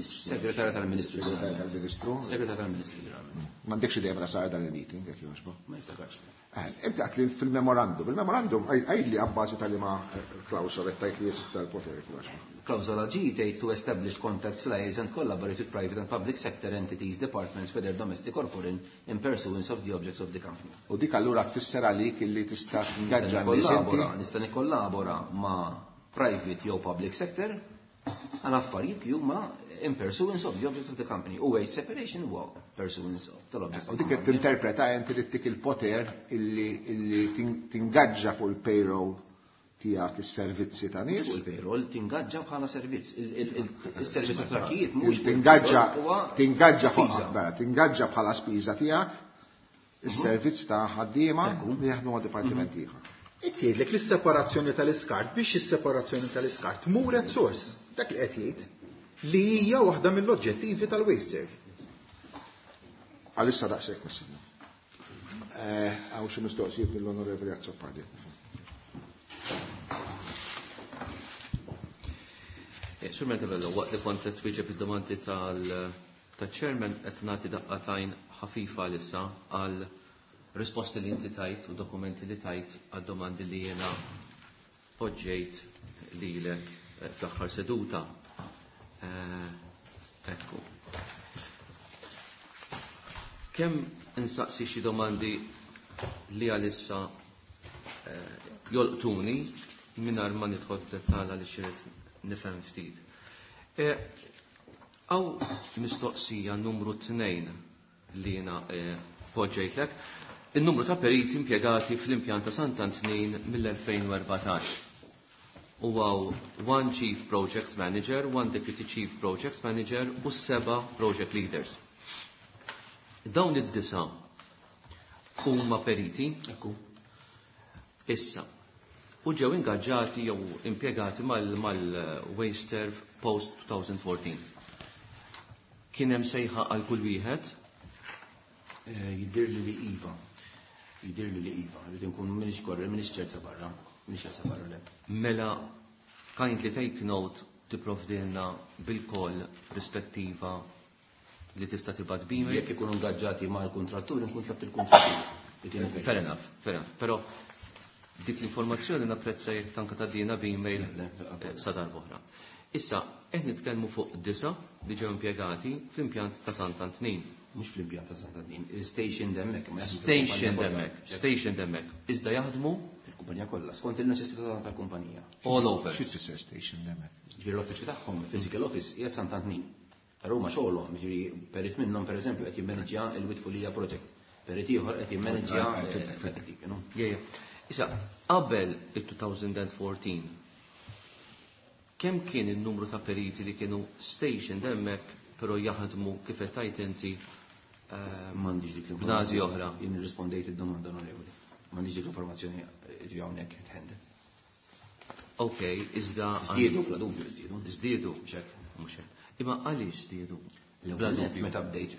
il-Segretarju tal-Ministru. Segretarju tal-Ministru. Segretarju tal-Ministru ġeneralment. M'għandekx idea meta sar dan il-meeting jekk jogħġbok? Ma niftakarx. Inti għat li fil-memorandum, il-memorandum għajli għabbażi tal-ima klawsola tajt li jessu tal-poter. Klawsola G tgħid to establish contacts, liaise and collaborate with private and public sector entities, departments, whether domestic or foreign, in pursuance of the objects of the company. U dik allura tfisser għalik illi tista' tingaġġa nies inti? Nista' nikkollabora ma' private jew public sector għal affarijiet li huma in pursuance of the objects of the company. U waste separation huwa pursuance tal-objects. U dik qed tinterpreta inti li tik il-poter illi tingaġġa fuq il-payroll tiegħek is-servizzi ta' nies. Fuq il-payroll tingaġġa bħala servizz. Il-servizz ta' trakkijiet mhux tingaġġa tingaġġa fuq tingaġġa bħala spiża tiegħek is-servizz ta' ħaddiema li jaħdmu ma' dipartiment ieħor. Qed jgħidlek li s-separazzjoni tal-iskart biex is-separazzjoni tal-iskart tmur at source. Dak li qed jgħid li hija waħda mill-oġġettivi tal-waste serve. Għalissa daqshekk missinna. Hawn xi mistoqsijiet mill-Onorevoli Azzopardi. Sur Montebello, waqt li kont qed twieġeb id-domandi tal-chairman qed nagħti daqqatajn ħafifa issa għal risposti li inti tajt u dokumenti li tajt għad-domandi li jena poġġejt lilek fl-aħħar seduta. Ekku. Kemm insaqsi xi domandi li għalissa jolqtuni mingħajr ma nidħol f'dettall għaliex irid nifhem ftit. Għaw mistoqsija numru tnejn li jiena poġġejtlek, il-numru ta' periti impjegati fl-impjant ta' Sant'Antnin mill-elfejn u erbatax. U għaw one Chief Projects Manager, one Deputy Chief Projects Manager u seba Project Leaders. Dawn id-disa huma periti. Ekku. Issa, u ġew ingaġġati jew impjegati mal-WasteServ post twenty fourteen. Kien hemm sejħa għal kull wieħed? Jidhirli li iva. Jidhirli li iva. Rrid inkun minix korre, minix ċerta barra. Minix ċerta barra le. Mela, kindly take note tipprovdilna bil-koll rispettiva li tista' tibgħat b'email. Jekk ikunu ingaġġati mal-kuntrattur, inkun tlabt il-kuntrattur. Fair enough, fair enough. Però dik l-informazzjoni napprezza jekk tanka tgħaddina b'email sa darb'oħra. Issa, qed nitkellmu fuq disa li ġew impjegati fl-impjant ta' Sant'Antnin. Mhux fl-impjant ta' Sant'Antnin, il-station hemmhekk. Station hemmhekk, station hemmhekk. Iżda jaħdmu fil-kumpanija kollha, skont il-neċessità tal-kumpanija. All over. Xi tfisser station hemmhekk? Ġifieri l-uffiċċju tagħhom, il-physical office, qiegħed Sant'Antnin. Però huma xogħolhom, ġifieri perit minnhom pereżempju qed jimmaneġġja il-Witfulija project. Perit ieħor qed jimmaneġġja dik, no? Yeah, yeah. Issa, qabel il-twenty fourteen, kemm kien il-numru ta' periti li kienu stationed hemmhekk però jaħdmu kif qed tgħid inti M'għandix dik l-informazzjoni. b'nażi oħra? Jien irrispondejt id-domanda onorevoli. M'għandix dik l-informazzjoni ġi hawnhekk tħende. Ok, iżda Żdiedu bla dubju żdiedu. Żdiedu. Mhux hekk. Mhux hekk. Imma għaliex żdiedu? Bla dubju. Meta bdejt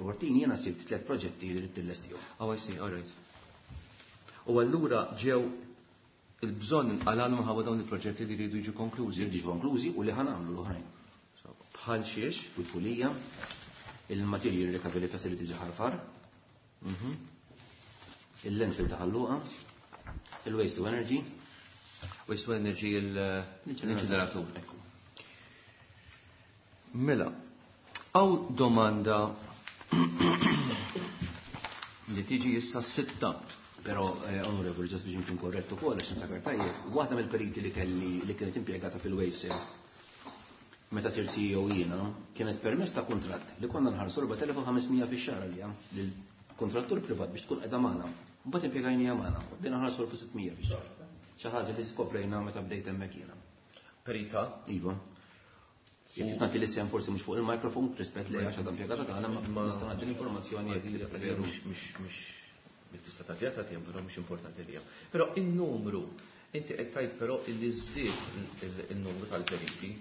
fourteen jiena sibt tliet proġetti li rrid nillestihom. Oh, I see, all right. U allura ġew il-bżonn inqalgħu minħabba dawn il-proġetti li jridu jiġu konklużi. Jridu jiġu konklużi u li ħanamlu l-oħrajn. Bħal xiex? Witfulija, il-Material Recovery Facility ġaħarfar, il-landfill ta' Ħal Luqa, il-Waste to Energy. Waste to Energy l-inċineratur. Mela, għaw domanda li tiġi issa sitta. Però, onorevoli, ġas biex nkun korrettu ukoll għax niftakar tajjeb, waħda mill-periti li kelli li kienet impjegata fil-Waste meta sirt C E O jiena, kienet permess ta' kuntratt li konna nħarsu erba' elef u ħames mija fix-xahar għalija lill-kontrattur privat biex tkun qiegħda magħna. Mbagħad impjegajnija magħna, bdejna nħarsu elf u sitt mija fix-xahar. Xi ħaġa li skoprejna meta bdejt hemmhekk jiena. Perita? Iva. Jekk nagħti l-isem forsi mhux fuq il-mikrofon, rispett li għax għadha impjegata tagħna, ma nista' ngħaddi l-informazzjoni jekk li preferu. Mhux, mhux, mhux tista' tagħtiha tagħtiha, però mhux importanti lija. Però in-numru, inti qed tgħid però illi żdied il-numru tal-periti.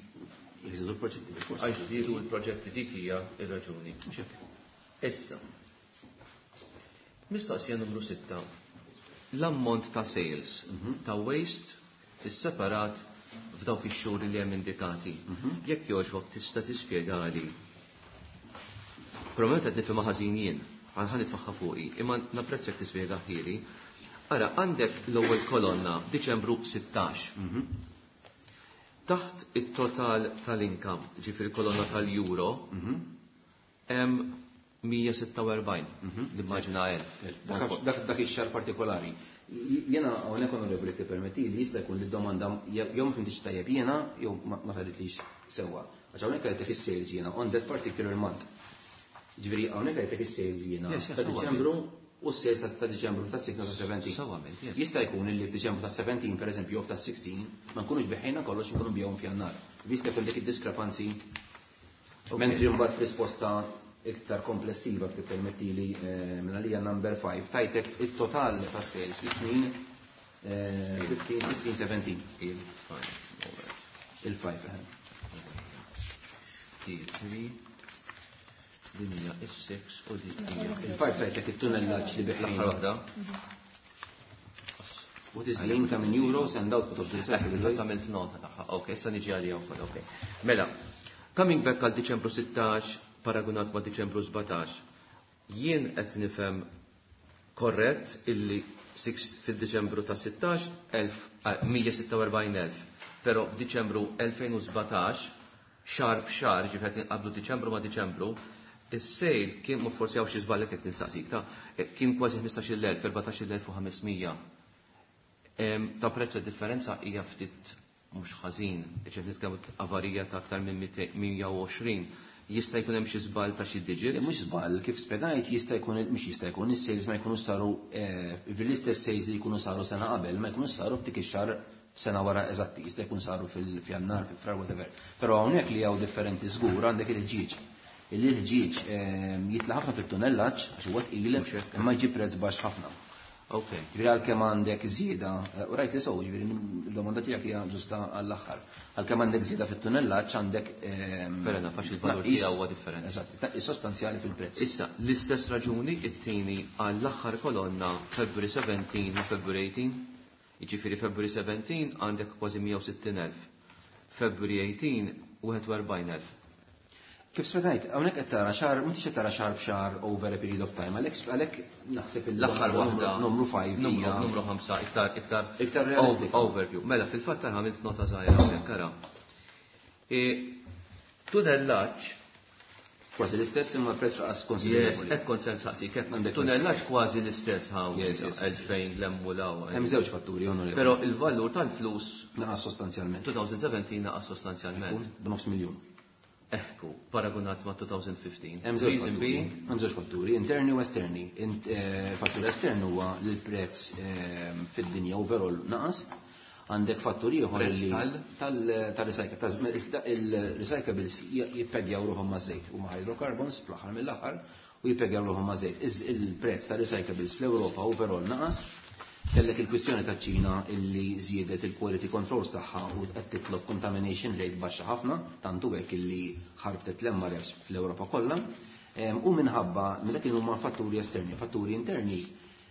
Jżidu l-proġetti bil-fors. Għax żdiedu l-proġetti dik hija r-raġuni. Mhux hekk. Issa. Mistoqsija numru sitta. L-ammont ta' sales ta' waste is-separat f'dawk ix-xhur li hemm indikati. Jekk jogħġbok tista' tispjegali. Probabbilment qed nifhimha ħażin jien, ħa nitfaħħa fuqi, imma napprezza jekk tispjega ħieli. Ara, għandek l-ewwel kolonna Diċembru sittax. Taħt it-total tal-income, ġifieri kolonna tal-euro, hemm mija sitta u erbgħin, l-immaġina elf. Dak, dak ix-xahar partikolari. Jiena hawnhekk onorevoli tippermetti li jista' jkun li d-domanda jew ma fimtix tajjeb jiena jew ma saritlix sewwa. Għax hawnhekk għedtek is-sales jiena on that particular month. Ġifieri hawnhekk għedtek is-sales jiena Yes, yes, ta' sewwa Diċembru u s-sales ta' Diċembru ta' sixteen ta' seventeen. Sewwa għamilt, yes. Jista' jkun li f'Diċembru ta' seventeen pereżempju jew ta' sixteen ma nkunux biħejna kollox nkunu bijhom f'Jannar. Jista' jkun dik id-diskrepanzi. Mentri mbagħad f'risposta iktar komplessiva tippermettili, eh, minn għalija number five tajtek it-total ta' sales fi snin, eh, fifteen, sixteen, seventeen. Il-five, all right. Il-five, eh. Three, din hija is-six u din hija Il-five tajtek it-tunnellaġġ li biħejna. L-aħħar waħda. What is the income in euros and output of the recyclable waste? Għamilt nota tagħha. Ok, issa niġi għalija wkoll, ok. Mela, coming back għal Diċembru sittax paragunat ma' Diċembru sbatax, jien qed nifhem Korrett illi fil-Diċembru ta' sittax mija sitta u erbgħin elf, però f'Diċembru elfejn u sbatax, xahar b'xahar, ġifieri qed inqablu Diċembru ma' Diċembru, is-sale kien, ma forsi hawn xi żball qed ninsaqsik, ta' kien kważi ħmistax-il elf, erbatax-il elf u ħames mija. Ta' prezz differenza hija ftit mhux ħażin, ġifieri nitkellmu avarija ta' aktar minn mija u għoxrin. Jista' jkun hemm xi żball ta' xi digit? Le, mhux żball, kif spjegajt, jista' jkun, mhux jista' jkun, is-sales ma jkunux saru, eh, fil-istess sales li jkunu saru sena qabel, ma jkunux saru f'dik ix-xahar sena wara eżatti, jista' jkun saru fil-Fjannar, fil-Frar, whatever. Però hawnhekk li hawn differenti żgur għandek il-ħġieġ. Il-ħġieġ, eh, jitla' ħafna fit-tunnellaġġ għax huwa tqil, Mhux hekk. imma jġib prezz baxx ħafna. Ok. Ġifieri għalkemm għandek żieda, eh, u rajt li sew, ġifieri l-domanda tiegħek hija ġusta għall-aħħar. Għalkemm għandek żieda fit-tunnellaġġ għandek, ehm, Fair enough, għax il-valur tnaqqis tiegħu huwa differenti. Eżatt, tnaqqis sostanzjali fil-prezz. Issa, l-istess raġuni it-tieni għall-aħħar kolonna February seventeen ma' February eighteen. Jiġifieri February seventeen għandek kważi mija u sittin elf. February eighteen wieħed u erbgħin elf. Kif spjegajt, hawnhekk qed tara xahar, m'intix qed tara xahar b'xahar over a period of time, għalhekk għalhekk naħseb il- L-aħħar waħda numru five numru, hija numru ħamsa iktar, iktar iktar realistika. Overview. Mela, fil-fatt tara għamilt nota żgħira hawnhekk ara. E, tunellaġġ kważi l-istess imma prezz raqas Yes, konsiderevoli. hekk kont se nsaqsik, hekk Għandek tunellaġġ kważi l-istess hawn, Yes, yes, yes. elfejn l-hemm u l-hawn. Hemm żewġ fatturi, onorevoli. Però il-valur tal-flus naqas sostanzjalment. twenty seventeen naqas sostanzjalment. B'nofs miljun. Ekku, paragonat ma' twenty fifteen. Hemm żewġ Reason fatturi. being? Hemm żewġ fatturi, interni u esterni. Int-, eh, fattur estern huwa li l-prezz, eh, fid-dinja overall naqas. Għandek fattur ieħor Prezz li tal? tal-, tal-recycle, ta' il-recyclables jippegjaw ruħhom maż-żejt, huma hydrocarbons fl-aħħar mill-aħħar u jippegjaw ruħhom maż-żejt. Iż-, il-prezz ta' recyclables fl-Ewropa overall naqas. Kellek il-kwistjoni ta' Ċina illi żiedet il-quality controls tagħha u qed titlob contamination rate baxxa ħafna, tantu hekk illi ħarbtet l-M R Fs fl-Ewropa kollha. Em, u minħabba minn dak huma fatturi esterni, fatturi interni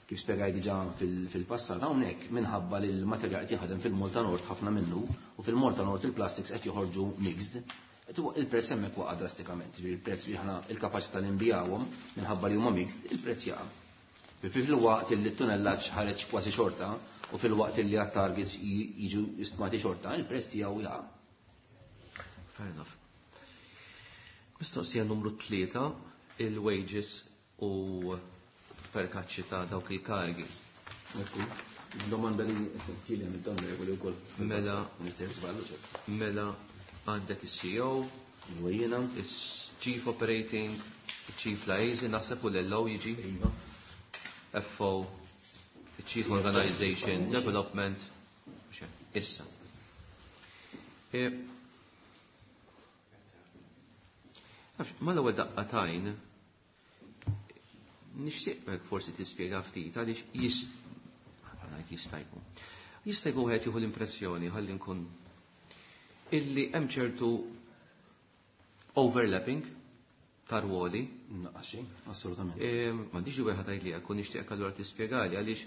kif spjegaj diġà fil-, fil-passat hawnhekk minħabba li l-materjal qed jaħdem fil-Malta North ħafna minnu u fil-Malta North il-plastics qed joħorġu mixed. Il-prezz hemmhekk waqa' drastikament, ġifieri il-prezz li aħna il-kapaċità li nbijawhom minħabba li huma mixed, il-prezz jaqa'. Fil-waqt li t-tunellaġġ ħareġ kważi xorta u fil-waqt li għat-targets ji-, jiġu stmati xorta, il-prezz tiegħu jaqa'. Fair enough. Mistoqsija numru tlieta, il-wages u perkaċċi ta' dawk il-kargi. Ekku, domanda li ġieli għamil dawn regoli wkoll. Mela, Mister Sballu, ċert. Mela għandek is-C E O, Wejjena. is-Chief Operating, Chief Liaison, naħseb u l-L O jiġi. Iva. F O, Chief Organization Development, issa. E, nafx, ma l-ewwel daqqa tajn, nixtieq hekk forsi tispjega ftit għaliex jis-, ngħid jista' jkun. Jista' jkun wieħed jieħu l-impressjoni ħalli nkun illi hemm ċertu overlapping ta' rwoli. Naqas xejn, assolutament. E, m'għandix wieħed tgħid li jekk nixtieq allura tispjegali għaliex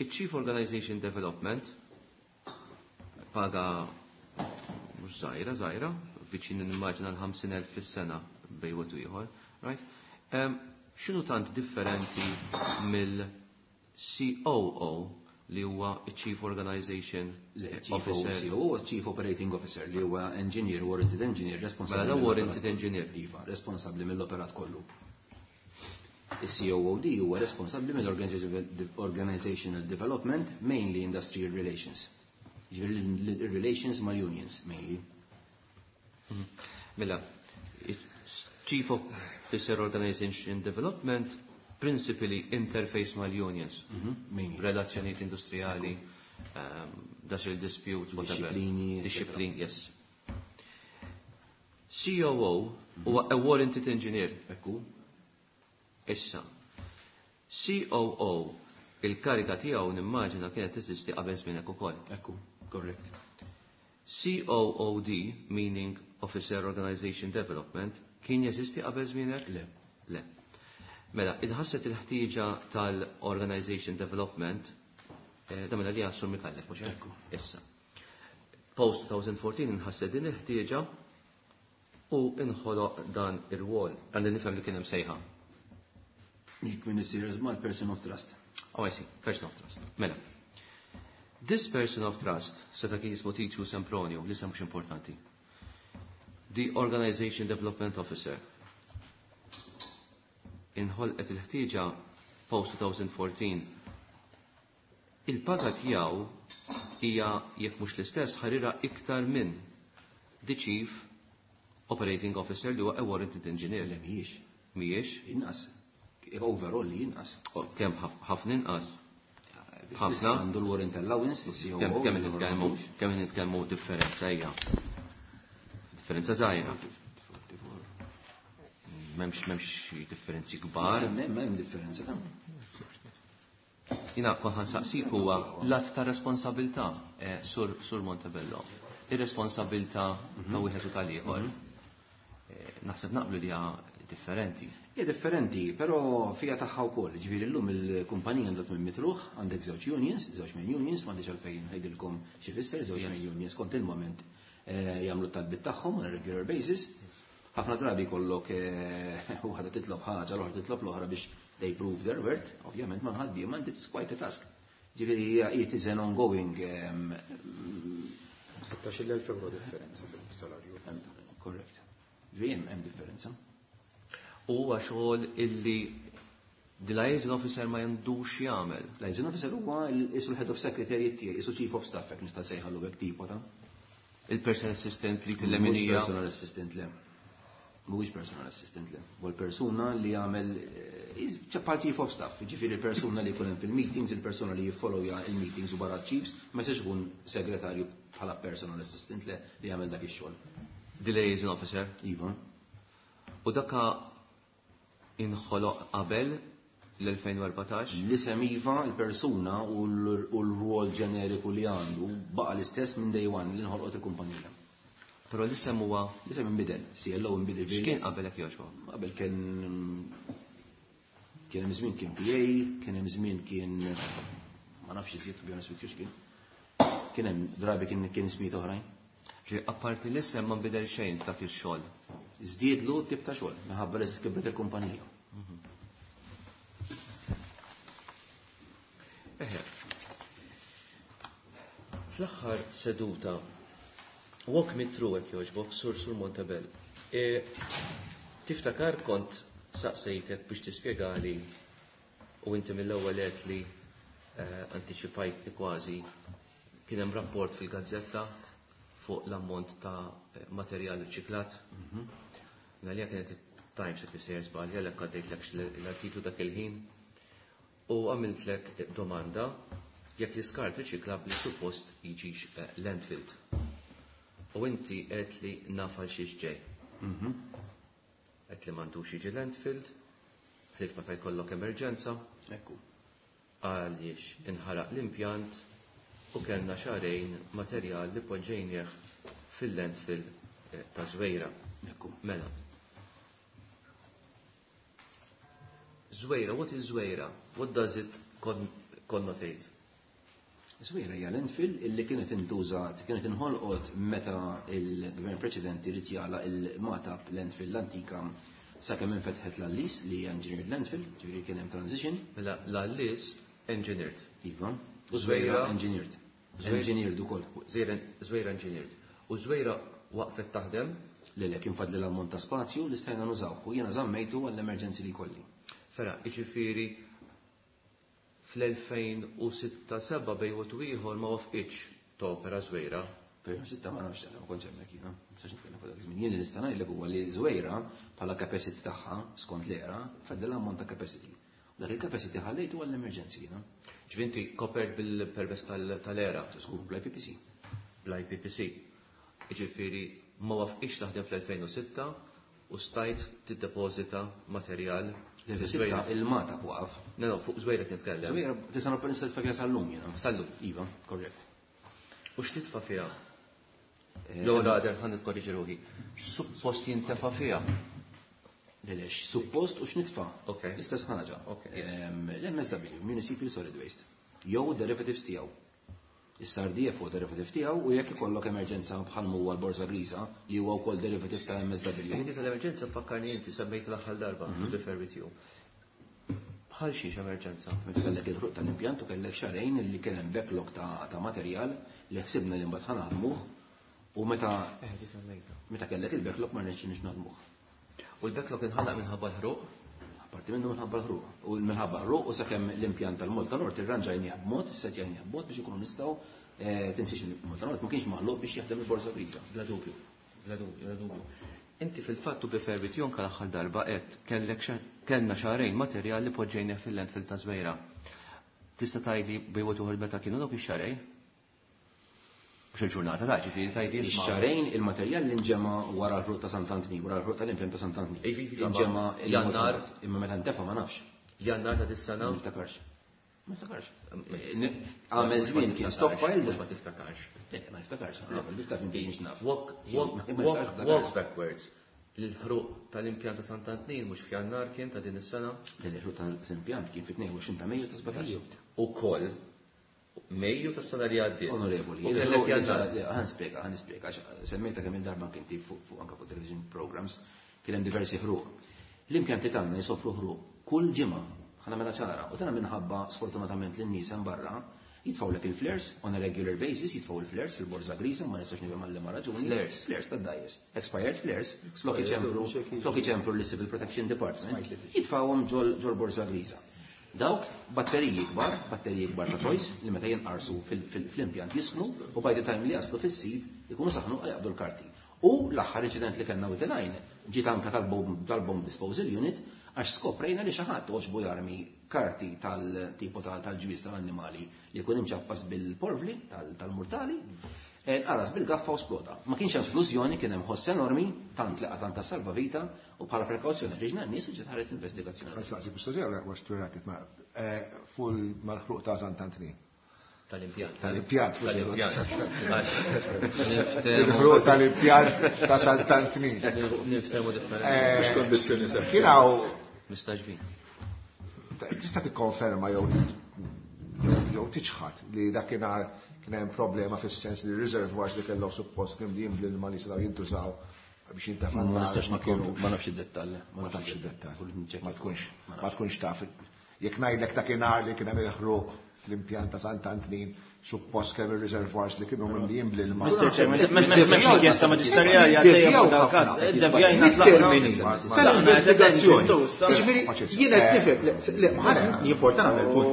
iċ-Chief Organization Development paga mhux żgħira, żgħira, viċin nimmaġina l-ħamsin elf fis-sena bejn wieħed u ieħor, right? Em, x'inhu tant differenti mill-C O O li huwa Chief Organization Le, Chief Officer? C O O, Chief Operating Officer, li huwa engineer, warranted engineer, responsabbli Mela, mill-operat warranted engineer. Iva, responsabbli mill-operat kollu. Is-C O O D huwa responsabbli mill-organizational development, mainly industrial relations. Ġifieri l-relations mal-unions, mainly. Mhm. Mela, Chief Officer Organization Development, principally interface mal-unions. Mhm, mainly. Relazzjonijiet industrijali, um, industrial disputes, whatever. Disciplini, eccetera. Disciplini, yes. C O O huwa a warranted engineer. Ekku. Issa, C O O, il-kariga tiegħu nimmaġina kienet teżisti qabel żmienek ukoll. Ekku, correct. C O O D, meaning Officer Organization Development, kien jeżisti qabel żmienek? Le. Le. Mela, idħasset il-ħtieġa tal-Organization Development, eh, da mela li għasur Micallef, mhux hekk? Ekku. Issa. Post twenty fourteen inħasset din il-ħtieġa u inħoloq dan ir-rwol. Għandi nifhem li kien hemm sejħa. Jekk minn isir żmal person of trust. Oh, I see. Person of trust. Mela. This person of trust, seta kien jismu Titu Sempronio, li mhux importanti. The Organization Development Officer. Inħolqet il-ħtieġa post twenty fourteen. Il-paga tiegħu hija jekk mhux l-istess ħarira iktar minn the Chief Operating Officer li huwa a warranted engineer. Le mhijiex. Mhijiex? Inqas. Overall li inqas. Kemm ħafna inqas? Ħafna. Għandu l-warrant allowance, C O O. Kemm nitkellmu kemm nitkellmu differenza hija. Differenza żgħira. M'hemmx m'hemmx differenzi kbar. M'hemm differenza ta'. Jina kont ħansaqsik huwa l-att ta' responsabilità sur sur Montebello. Ir-responsabilità ta' wieħed u tal-ieħor. Naħseb naqblu li hija differenti. Hija differenti, però fija tagħha wkoll. Ġifieri llum il-kumpanija għandha tmien mitruħ, għandek żewġ unions, żewġ main unions, m'għandix għalfejn ngħidilkom xi fisser, żewġ main unions kont il-moment jagħmlu t-talbiet tagħhom on a regular basis. Ħafna drabi jkollok waħda titlob ħaġa, l-oħra titlob l-oħra biex they prove their worth, ovvjament ma ħaddiema and it's quite a task. Ġifieri hija it is an ongoing sittax-il elf euro differenza fil-salarju. Correct. Ġifieri hemm differenza. Huwa xogħol illi the liaison officer ma jandux jagħmel. Liaison officer huwa isu l-head of secretariat tiegħi, isu chief of staff hekk nista' nsejħalu hekk tipo ta' il-personal assistant li tillemminija. Personal assistant le. Mhuwiex personal assistant le. Huwa l-persuna li jagħmel bħal chief of staff, jiġifieri l-persuna li jkun hemm fil-meetings, il-persuna li jiffollowja il-meetings u barra chiefs, ma jistax ikun segretarju bħala personal assistant le li jagħmel dak ix-xogħol. The liaison officer? Iva. U daka inħoloq qabel l-elfejn u erbatax? L-isem iva, il-persuna u l-rwol ġeneriku li għandu baqa l-istess minn day one li nħolqot il-kumpanija. Però l-isem huwa? L-isem inbidel, C L O inbidel. X'kien qabel hekk jogħġbu? Qabel kien kien hemm żmien kien P A, kien hemm żmien kien ma nafx iżjed to be honest with you x'kien. Kien hemm drabi kien kien ismijiet oħrajn. Ġi apparti l-isem ma nbidel xejn ta' fix-xogħol. Żdiedlu tip ta' xogħol minħabba li kibret il-kumpanija. Eħe. Fl-aħħar seduta walk me through hekk jogħġbok sur sur Montebello. E, tiftakar kont saqsejtek biex tispjegali u inti mill-ewwel għedt li antiċipajt li kważi kien hemm rapport fil-gazzetta fuq l-ammont ta' materjal riċiklat. Għalija kienet it-Times if isejjer żball, għalhekk għaddejtlek l-artiklu dak il-ħin u għamiltlek domanda jekk l-iskart riċiklabbli suppost jiġix landfilled. U inti qed li naf għal xiex ġej. Qed li m'għandux jiġi landfilled, ħlief meta jkollok emerġenza. Ekku. Għaliex inħaraq l-impjant u kellna xahrejn materjal li poġġejnieh fil-landfill ta' Żwejra. Ekku. Mela. Żwejra, what is Żwejra? What does it con connotate? Żwejra hija landfill illi kienet intużat, kienet inħolqot meta il-gvern preċedenti rid jagħlaq il-Magħtab landfill l-antika sakemm infetħet l-Allis li hija engineered landfill, ġifieri kien hemm transition. Mela l-Allis engineered. Iva. U Żwejra engineered. Engineered ukoll. Żwejra engineered. U Żwejra waqfet taħdem? Le le kien fadli l-ammont ta' spazju li stajna nużawh u jiena żammejtu għall-emerġenzi li jkolli. Fera, jiġifieri fl-elfejn u sitta seba' bejn wieħed u ieħor ma wafqitx topera Żwejra. Fejn sitta ma nafx ma kontx hemmhekk jiena, ma nistax nitkellem fuq dak iż-żmien. Jien li nista' ngħidlek huwa li Żwejra bħala capacity tagħha skont l-era fadli l-ammont ta' capacity. U dak il-capacity ħallejtu għall-emerġenzi jiena. Ġifieri inti kopert bil-permess tal-era? Żgur, bl-I P P C. Bl-I P P C. Jiġifieri ma wafqitx taħdem fl-elfejn u sitta u stajt tiddepożita materjal Żwejra il-Magħtab waqaf. No, no, fuq Żwejra qed nitkellem. Żwejra tista' nista' titfa' fiha sal-lum jiena. Sal-lum. Iva, korrett. U x'titfa' fiha? Jew rather ħa nitkorriġi ruħi. Suppost jintefa' fiha? Le, le, suppost u x'nitfa'? Ok. L-istess ħaġa. Ok. L-M S W, Municipal Solid Waste, jew derivatives tiegħu. Issa R D F huwa derivative tiegħu u jekk ikollok emerġenza bħal huwa l-Borża Griża li huwa wkoll derivative ta' M S W. Inti tal-emerġenza fakkarni inti semmejt l-aħħar darba, to be fair with you. Għal xiex emerġenza? Meta kellek il-ħruq tal-impjant u kellek xahrejn li kien hemm backlog ta' materjal li ħsibna li mbagħad ħanaħdmuh u meta meta kellek il-backlog ma rnexxinix naħdmuh. U l-backlog inħalaq minħabba l-ħruq? Parti minnu minħabba l-ħruq. U minħabba l-ħruq u sakemm l-impjant tal-Malta Nord irranġajnieh b'mod, issettjajnieh b'mod biex ikunu nistgħu tinsiex il-Malta Nord ma kienx maħluq biex jaħdem il-borża griża. Bla dubju, bla dubju, bla dubju. Inti fil-fatt u bi fervit jonka l-aħħar darba qed kellek kellna xahrejn materjal li poġġejnieh fil-landfill ta' Żwejra. Tista' tgħidli bejwet uħor meta kienu dawk ix-xahrejn? Mhux il-ġurnata ta' ġifieri tgħidli isma'. Ix-xahrejn il-materjal li nġema' wara l-ħruq ta' Sant'Antnin, wara l-ħruq tal-impjant ta' Sant'Antnin. Inġema' Jannar. Imma meta ntefa' ma nafx. Jannar ta' dis-sena? Ma niftakarx. Ma niftakarx. Għamel żmien kien stockpile. Mhux ma tiftakarx. Ma niftakarx. Niftakar minn kienx naf. Walk, walk, walk, walk backwards. L-ħruq tal-impjant ta' Sant'Antnin mhux f'Jannar kien ta' din is-sena? L-ħruq tal-impjant kien fit-tnejn u għoxrin ta' Mejju ta' sbatax. Ukoll Mejju tas-sena li għaddiet. Onorevoli, U kellek Jannar. ħa nispjega, ħa nispjega, għax semmejta kemm il-darba kien tip fuq anke fuq television programs, kien hemm diversi ħruq. L-impjanti tagħna jsofru ħruq kull ġimgħa, ħa nagħmilha ċara, u tagħna minħabba sfortunatament lin-nies hemm barra jitfgħulek il-flares on a regular basis, jitfgħu il-flares fil-borża griża, ma nistax nifhem għal liema raġuni. Flares. Flares tad-dgħajjes. Expired flares, flok iċemplu, flok iċemplu lis-Civil Protection Department, jitfgħuhom ġol borża griża. Dawk batteriji kbar, batteriji kbar ta' toys li meta jinqarsu fl-impjant jisħnu u by the time li jaslu fis-sit ikunu saħnu jaqbdu l-karti. U l-aħħar inċident li kellna with the line ġiet anka tal-bomb disposal unit għax skoprejna li xi ħadd għoġbu jarmi karti tal-tipo tal-ġwież tal-annimali li jkun imċappas bil-porvli tal-murtali, nqaras bil-gaffa u sploda. Ma kienx hemm splużjoni, kien hemm ħoss enormi, tant li qata' anka salvavita u bħala prekawzjoni ħriġna n-nies u ġiet ħaret investigazzjoni. Ħa nsaqsi mistoqsija għax twirratit ma' fuq mal-ħruq ta' Sant'Antnin. Tal-impjant. Tal-impjant. Tal-impjant. Il-ħruq tal-impjant ta' Sant'Antnin. Niftehmu differenti. Mhux kondizzjoni sew. Kien hawn Mistaġbin. Tista' tikkonferma jew jew tiċħad li dakinhar kien hemm problema fis-sens li r-reservoirs li kellhom suppost kien li jimli l-ilma li setgħu jintużaw biex jintefa' Ma n-nar nistax ma nikkonferma, kienux. ma nafx id-dettall, Ma tafx id-dettall. Kull nċekk. Ma tkunx, ma tkunx taf. Jekk ngħidlek dakinhar li kien hemm il-ħruq fl-impjant ta' Sant'Antnin, suppost kemm ir-reservoirs li kienu mimlijin bl-ilma. Mister Chairman, m'hemmx inkjesta maġisterjali għaddejja fuq dal-każ. Iddevjajna tlaqna. Mit-termini tal-investigazzjoni. Jiġifieri jien qed nifhem, le, ma jimporta nagħmel punt.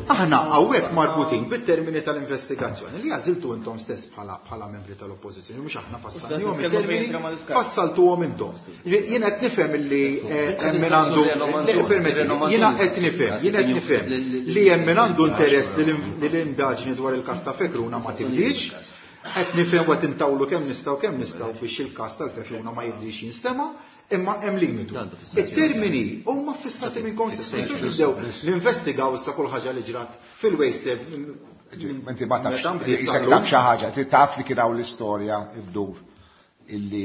Aħna hawnhekk marbutin bit-termini tal-investigazzjoni li għażiltu intom stess bħala bħala membri tal-oppożizzjoni, mhux aħna fassalnihom it-termini, fassaltuhom intom. Jiġifieri jien qed nifhem li hemm min għandu, permetti, jiena qed nifhem, jien qed nifhem li hemm min għandu interess li l-indaġni dwar il-każ ta' Fekruna ma tibdix, qed nifhem u qed intawlu kemm nistgħu kemm nistgħu biex il-każ tal-Fekruna ma jibdix jinstema', imma hemm limitu. It-termini huma fissati minn stess. Ma nistgħux nibdew ninvestigaw issa kull ħaġa li ġrat fil-waste. Inti ma tafx, isek taf xi ħaġa, trid taf li kien hawn l-istorja ddur illi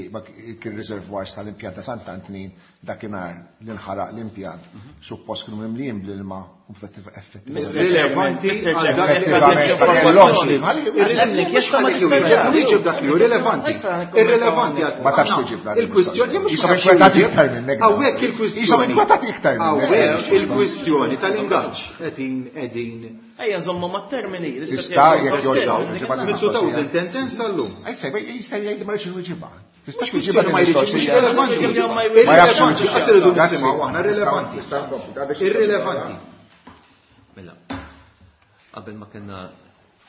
kien reservoirs tal-impjant ta' Sant'Antnin dakinhar li nħaraq l-impjant, suppost kienu mimlijin bl-ilma u effettivament. Rilevanti għal dak Effettivament, ma kellhomx l-ilma. Wieġeb dak li hu rilevanti. Irrilevanti għal Ma tafx tiġib dan il-kwistjoni mhux Jisom inkwetati iktar minnek. Hawnhekk il-kwistjoni. Jisom inkwetati iktar minnek. Hawnhekk il-kwistjoni tal-ingaġġ qegħdin qegħdin. Ejja nżommu mat-termini. Tista' jekk jogħġbok. Minn two thousand ten sal-lum. Ejsa, jista' jgħid li ma rridx inwiġibha. Tista' Mhux twiġibha kwistjoni ma jridx, mhux relevanti. Ma jafx Irrilevanti, qatt irridu nisimgħu aħna irrilevanti. Irrilevanti. Mela, qabel ma kellna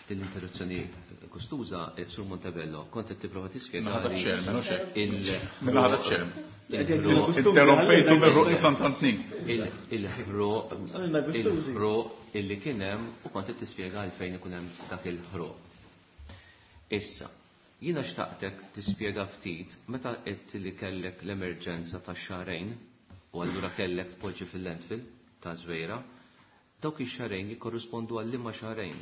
din l-interruzzjoni kostuża, Sur Montebello, kont qed tipprova tispjega Mela ħadd chairman, hux hekk? il- Mela ħadd chairman. il-ħruq Interrompejtu bir-ruq Sant'Antnin. il-ħruq il-ħruq illi kien hemm u kont qed tispjega għalfejn ikun hemm dak il-ħruq. Issa, jiena xtaqtek tispjega ftit meta qed li kellek l-emerġenza ta' xahrejn u allura kellek tpoġġi fil-landfill ta' Żwejra, dawk ix-xahrejn jikkorrispondu għal liema xahrejn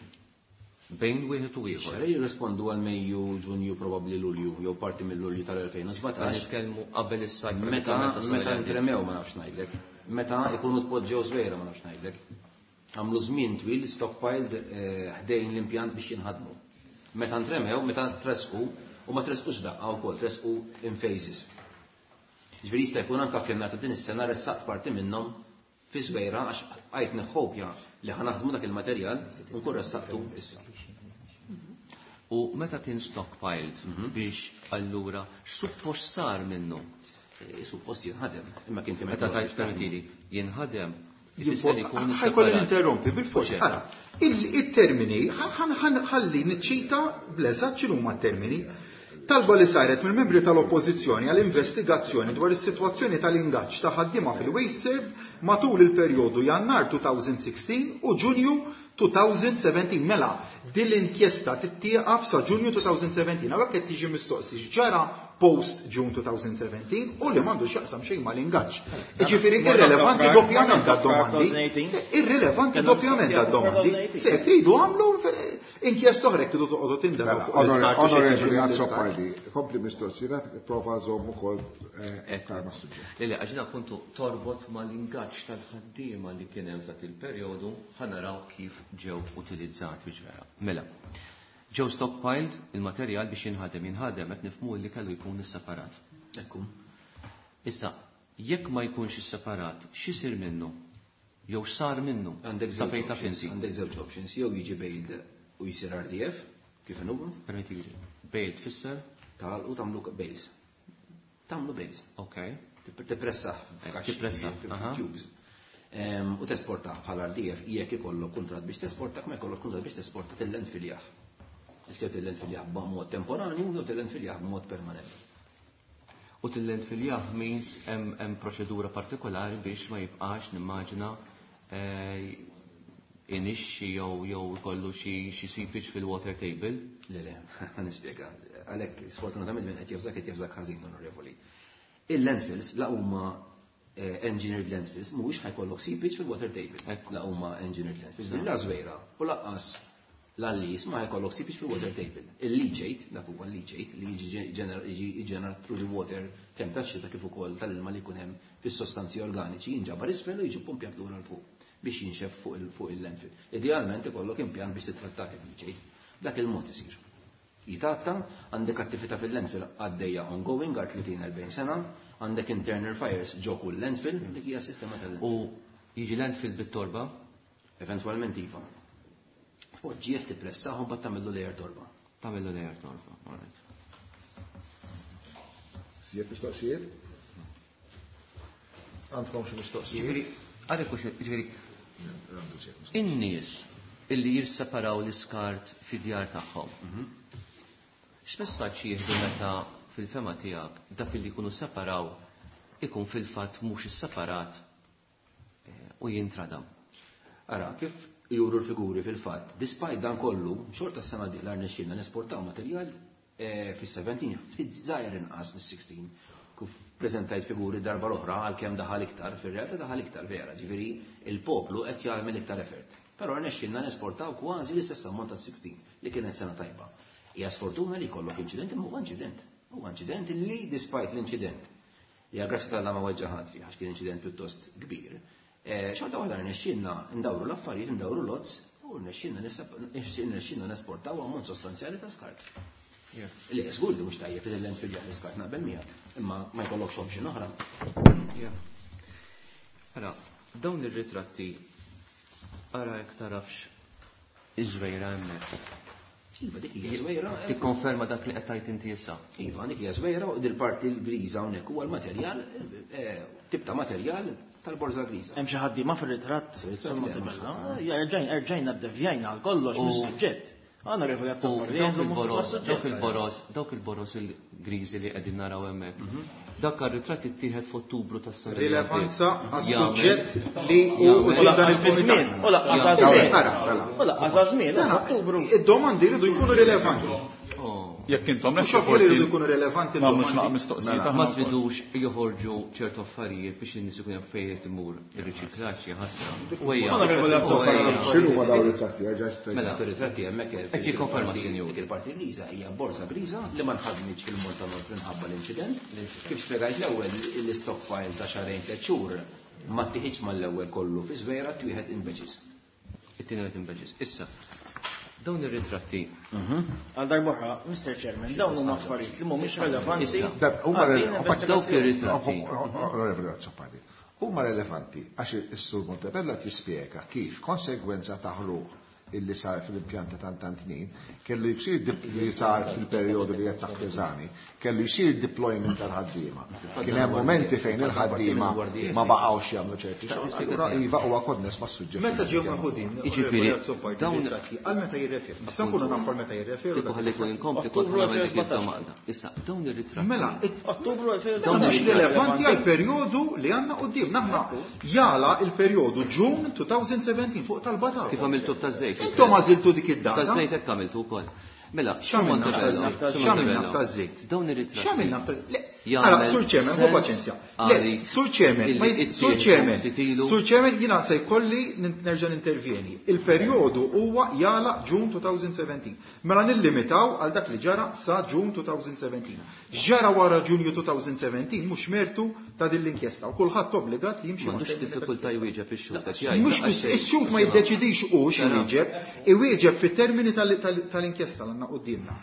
bejn wieħed u ieħor. Xahrejn jirrispondu għal Mejju, Ġunju, probabbli Lulju, jew parti mill-Lulju tal-elfejn u sbatax. Nitkellmu qabel is-sajf. Meta meta intremew ma nafx ngħidlek. Meta ikunu tpoġġew Żwejra ma nafx ngħidlek. Għamlu żmien twil stockpiled ħdejn l-impjant biex jinħadmu. Meta ntremew, meta tresqu, u ma tresqux daqqa wkoll, tresqu in phases. Ġifieri jista' jkun anke f'jannar ta' din is-sena ressaqt parti minnhom fi Żwejra għax Bqajt neħħobja li ħa naħdmu dak il-materjal u nkun ressaqtu issa. U meta kien stockpiled biex allura x'suppost sar minnu? Suppost jinħadem, imma kien kemm Meta tajt permettili, jinħadem ifisser ikun Ħa jkolli ninterrompi bil-fors. Ara, il-termini, ħalli niċċita bl-eżatt x'inhuma t-termini. Talba li saret mill-membri tal-Oppożizzjoni għal investigazzjoni dwar is-sitwazzjoni tal-ingaġġ ta' ħaddiema fil-WasteServ matul il-perjodu Jannar elfejn u sittax u Ġunju elfejn u sbatax. Mela, din l-inkjesta tittieqaf sa Ġunju elfejn u sbatax. Hawnhekk qed tiġi mistoqsi x'ġara post June elfejn u sbatax u li m'għandu x'jaqsam xejn mal-ingaġġ. Jiġifieri irrelevanti doppjament għad-domandi. Irrelevanti doppjament għad-domandi. Se tridu għamlu inkjesta oħra tridu toqgħodu tindemu fuq l-iskart u xi Onorevoli jiġri mill-iskart. Azzopardi, kompli mistoqsija, prova żomm ukoll aktar ma' suġġett. Le, le, għax jiena appuntu torbot mal-ingaġġ tal-ħaddiema li kien hemm f'dak il-perjodu, ħa naraw kif ġew utilizzati biex vera. Mela, ġew stockpiled il-materjal biex jinħadem, jinħadem qed nifhmu li kellu jkun isseparat. Ekku. Issa, jekk ma jkunx isseparat, x'isir minnu? Jew x'sar minnu? Għandek Sa żewġ fejn taf options, inti? Għandek żewġ options, jew jiġi baled u jsir R D F, kif inhuwa? Permettili. Baled tfisser? Tal u tagħmlu bales. Tagħmlu bales. Ok. Tippressah Eh, tippressah, aha. cubes. Em, U tesportah bħala R D F jekk ikollok kuntratt biex tesportak, ma jkollok kuntratt biex tesporta til-landfill. Tistgħu til-landfill b'mod temporanju jew til-landfill b'mod permanenti. U til-landfill means hemm hemm proċedura partikolari biex ma jibqax nimmaġina eh, inixxi jew jew ikollu xi xi seepage fil-water table. Le, le, ħa nispjega. Għalhekk, sfortunatament minn qed jafżak qed jafżak ħażin, onorevoli. Il-landfills la huma eh, engineered landfills, mhuwiex ħa jkollok seepage fil-water table. Ekku. La huma engineered landfills. La Żwejra u lanqas l-Għallis ma ħa jkollok seepage fil-water table. Il-leachate, dak huwa l-leachate li jiġi ġener- jiġi ġenerat through the water kemm tax-xita kif ukoll tal-ilma li jkun hemm fis-sostanzi organiċi jinġabar isfel u jiġi pumpjat lura 'l fuq biex jinxef fuq il- fuq il-landfill. Idealment ikollok impjant biex titrattak il-leachate. Dak il-mod isir. Jitatta, għandek attività fil-landfill għaddejja ongoing għal tletin erbgħin sena, għandek internal fires ġo kull landfill, dik hija sistema tal-landfill. U jiġi landfill bit-torba, Eventualment iva. Poġġieħ tippressaħ u mbagħad tagħmillu layer torba. Tagħmillu layer torba. All right. Sijiet mistoqsijiet? Għandkom xi mistoqsijiet? Ġifieri, għalhekk hux ġifieri in-nies illi jisseparaw l-iskart fid-djar tagħhom. X'messaġġ jieħdu meta fil-fehma tiegħek dak li jkunu separaw ikun fil-fatt mhux isseparat eh, u jintradam? Ara, kif juru l-figuri fil-fatt, despite dan kollu, xorta s-sena dieħla rnexxielna nesportaw materjal eh, fis-sbatax, ftit żgħir inqas mis-sittax, kif preżentajt figuri darba l-oħra għalkemm daħal iktar, fir-realtà daħal iktar vera, ġifieri il-poplu qed jagħmel iktar effort. Però rnexxielna nesportaw kważi l-istess ammont ta' sittax li kienet sena tajba. Hija sfortuna li jkollok inċident, imma huwa inċident. Huwa inċident li despite l-inċident, ja grazzi tal ma weġġa ħadd fih għax kien inċident pjuttost kbir. Eh, Xorta waħda rnexxielna ndawru l-affarijiet, ndawru l-odds u rnexxielna rnexxielna nesportaw ammont sostanzjali ta' skart. Li żgur li mhux tajjeb il-landfill l-iskart naqbel miegħek, imma ma jkollokx option oħra. Ara, dawn ir-ritratti ara jekk tarafx iż-Żwejra hemmhekk. Iva, dik hija Żwejra. Tikkonferma dak li qed tgħid inti issa. Iva, dik hija Żwejra u dil-parti l-griża hawnhekk huwa l-materjal, eh, tip ta' materjal tal-borża griża. Hemm xi ħaddiema fir-ritratt. Fir-ritratt Somma le, mhux tibella. ħadd. Ja, Erġajna erġajna ddevjajna għal kollox U- mis-suġġett. Għandna U regolazzjoni dawk il-boros, dawk il-boros, dawk il-boros il-griżi li qegħdin naraw hemmhekk. Dak ir-ritratt ittieħed f'Ottubru tas-sena li Rilevanza għaddiet. għas-suġġett li hu Jagħmel- quddiem dan Lanqas fi żmien, il-kumitat. u lanqas għaż-żmien. Ara, mela. U lanqas għaż-żmien, Ottubru. Id-domandi jridu jkunu rilevanti. Oh. Jekk intom Mhux lesti ovvju li forsi jridu jkunu rilevanti nagħmlu x'naq d-domandi. mistoqsijiet Ma aħna wkoll. tridux joħorġu ċertu affarijiet biex in-nies ikun jaf fejn qed imur ir-riċiklaġġ ħasra. Onorevoli Azzopardi. X'inhu ma dawn ir-ritratti? Erġa' Mela. Fir-ritratti hemmhekk Qed jikkonferma, sinjur. Dik il-parti griża hija borża griża li ma nħadmitx fil-Malta North minħabba l-inċident. Kif spjegajt l-ewwel l-stockpile ta' xahrejn tliet xhur ma tieħidx mal-ewwel kollu fi Żwejra, twieħed in batches. It-tieni qed inbeġis. Issa, dawn ir-ritratti Għal darb'oħra, Mister Chairman, dawn huma affarijiet li mhumiex relevanti. Issa. Huma għal din dawk investigazzjoni. ir-ritratti. Onorevoli Azzopardi, Huma relevanti għax is-Sur Montebello qed jispjega kif konsegwenza ta' ħruq illi sar fil-impjanta ta' Tantnin kellu jsir li sar fil-perjodu li qed taħt eżami, kellu jsir deployment tal-ħaddiema. Kien hemm momenti fejn il-ħaddiema ma baqgħux jagħmlu ċerti xogħol. Allura iva huwa konness mas-suġġett. Meta ġew meħudin, Jiġifieri, dawn għal meta jirreferu. Issa nkunu nafu għal meta jirreferu. Kieku ħallejtu inkompli kont nagħmel dik il-domanda. Issa, dawn ir-ritratti. Mela, Ottubru dawn mhux rilevanti għal perjodu li għandna quddiem. Aħna jala il-perjodu June twenty seventeen fuq talba Kif għamiltu f'taż-żejt? Intom għażiltu dik id-data. Taż-żejt hekk għamiltu wkoll. Mela, x'għamilna f'taż-żejt? Dawn ir-ritratti. X'għamilna f'taż-żejt? Ara, Sur Chairman, ħu paċenzja. Le, Sur Chairman, Sur Chairman, Sur Chairman, jiena se jkolli nerġa' nintervjeni. Il-perjodu huwa jala June twenty seventeen. Mela nillimitaw għal dak li ġara sa June twenty seventeen. Ġara wara Ġunju twenty seventeen mhux mertu ta' din l-inkjesta u kulħadd obbligat li jimxi. M'għandux diffikultà jwieġeb ix-xhud għax jgħid. Mhux ix-xhud ma jiddeċidix hu x'jwieġeb, iwieġeb fit-termini tal-inkjesta l għandna quddiemna.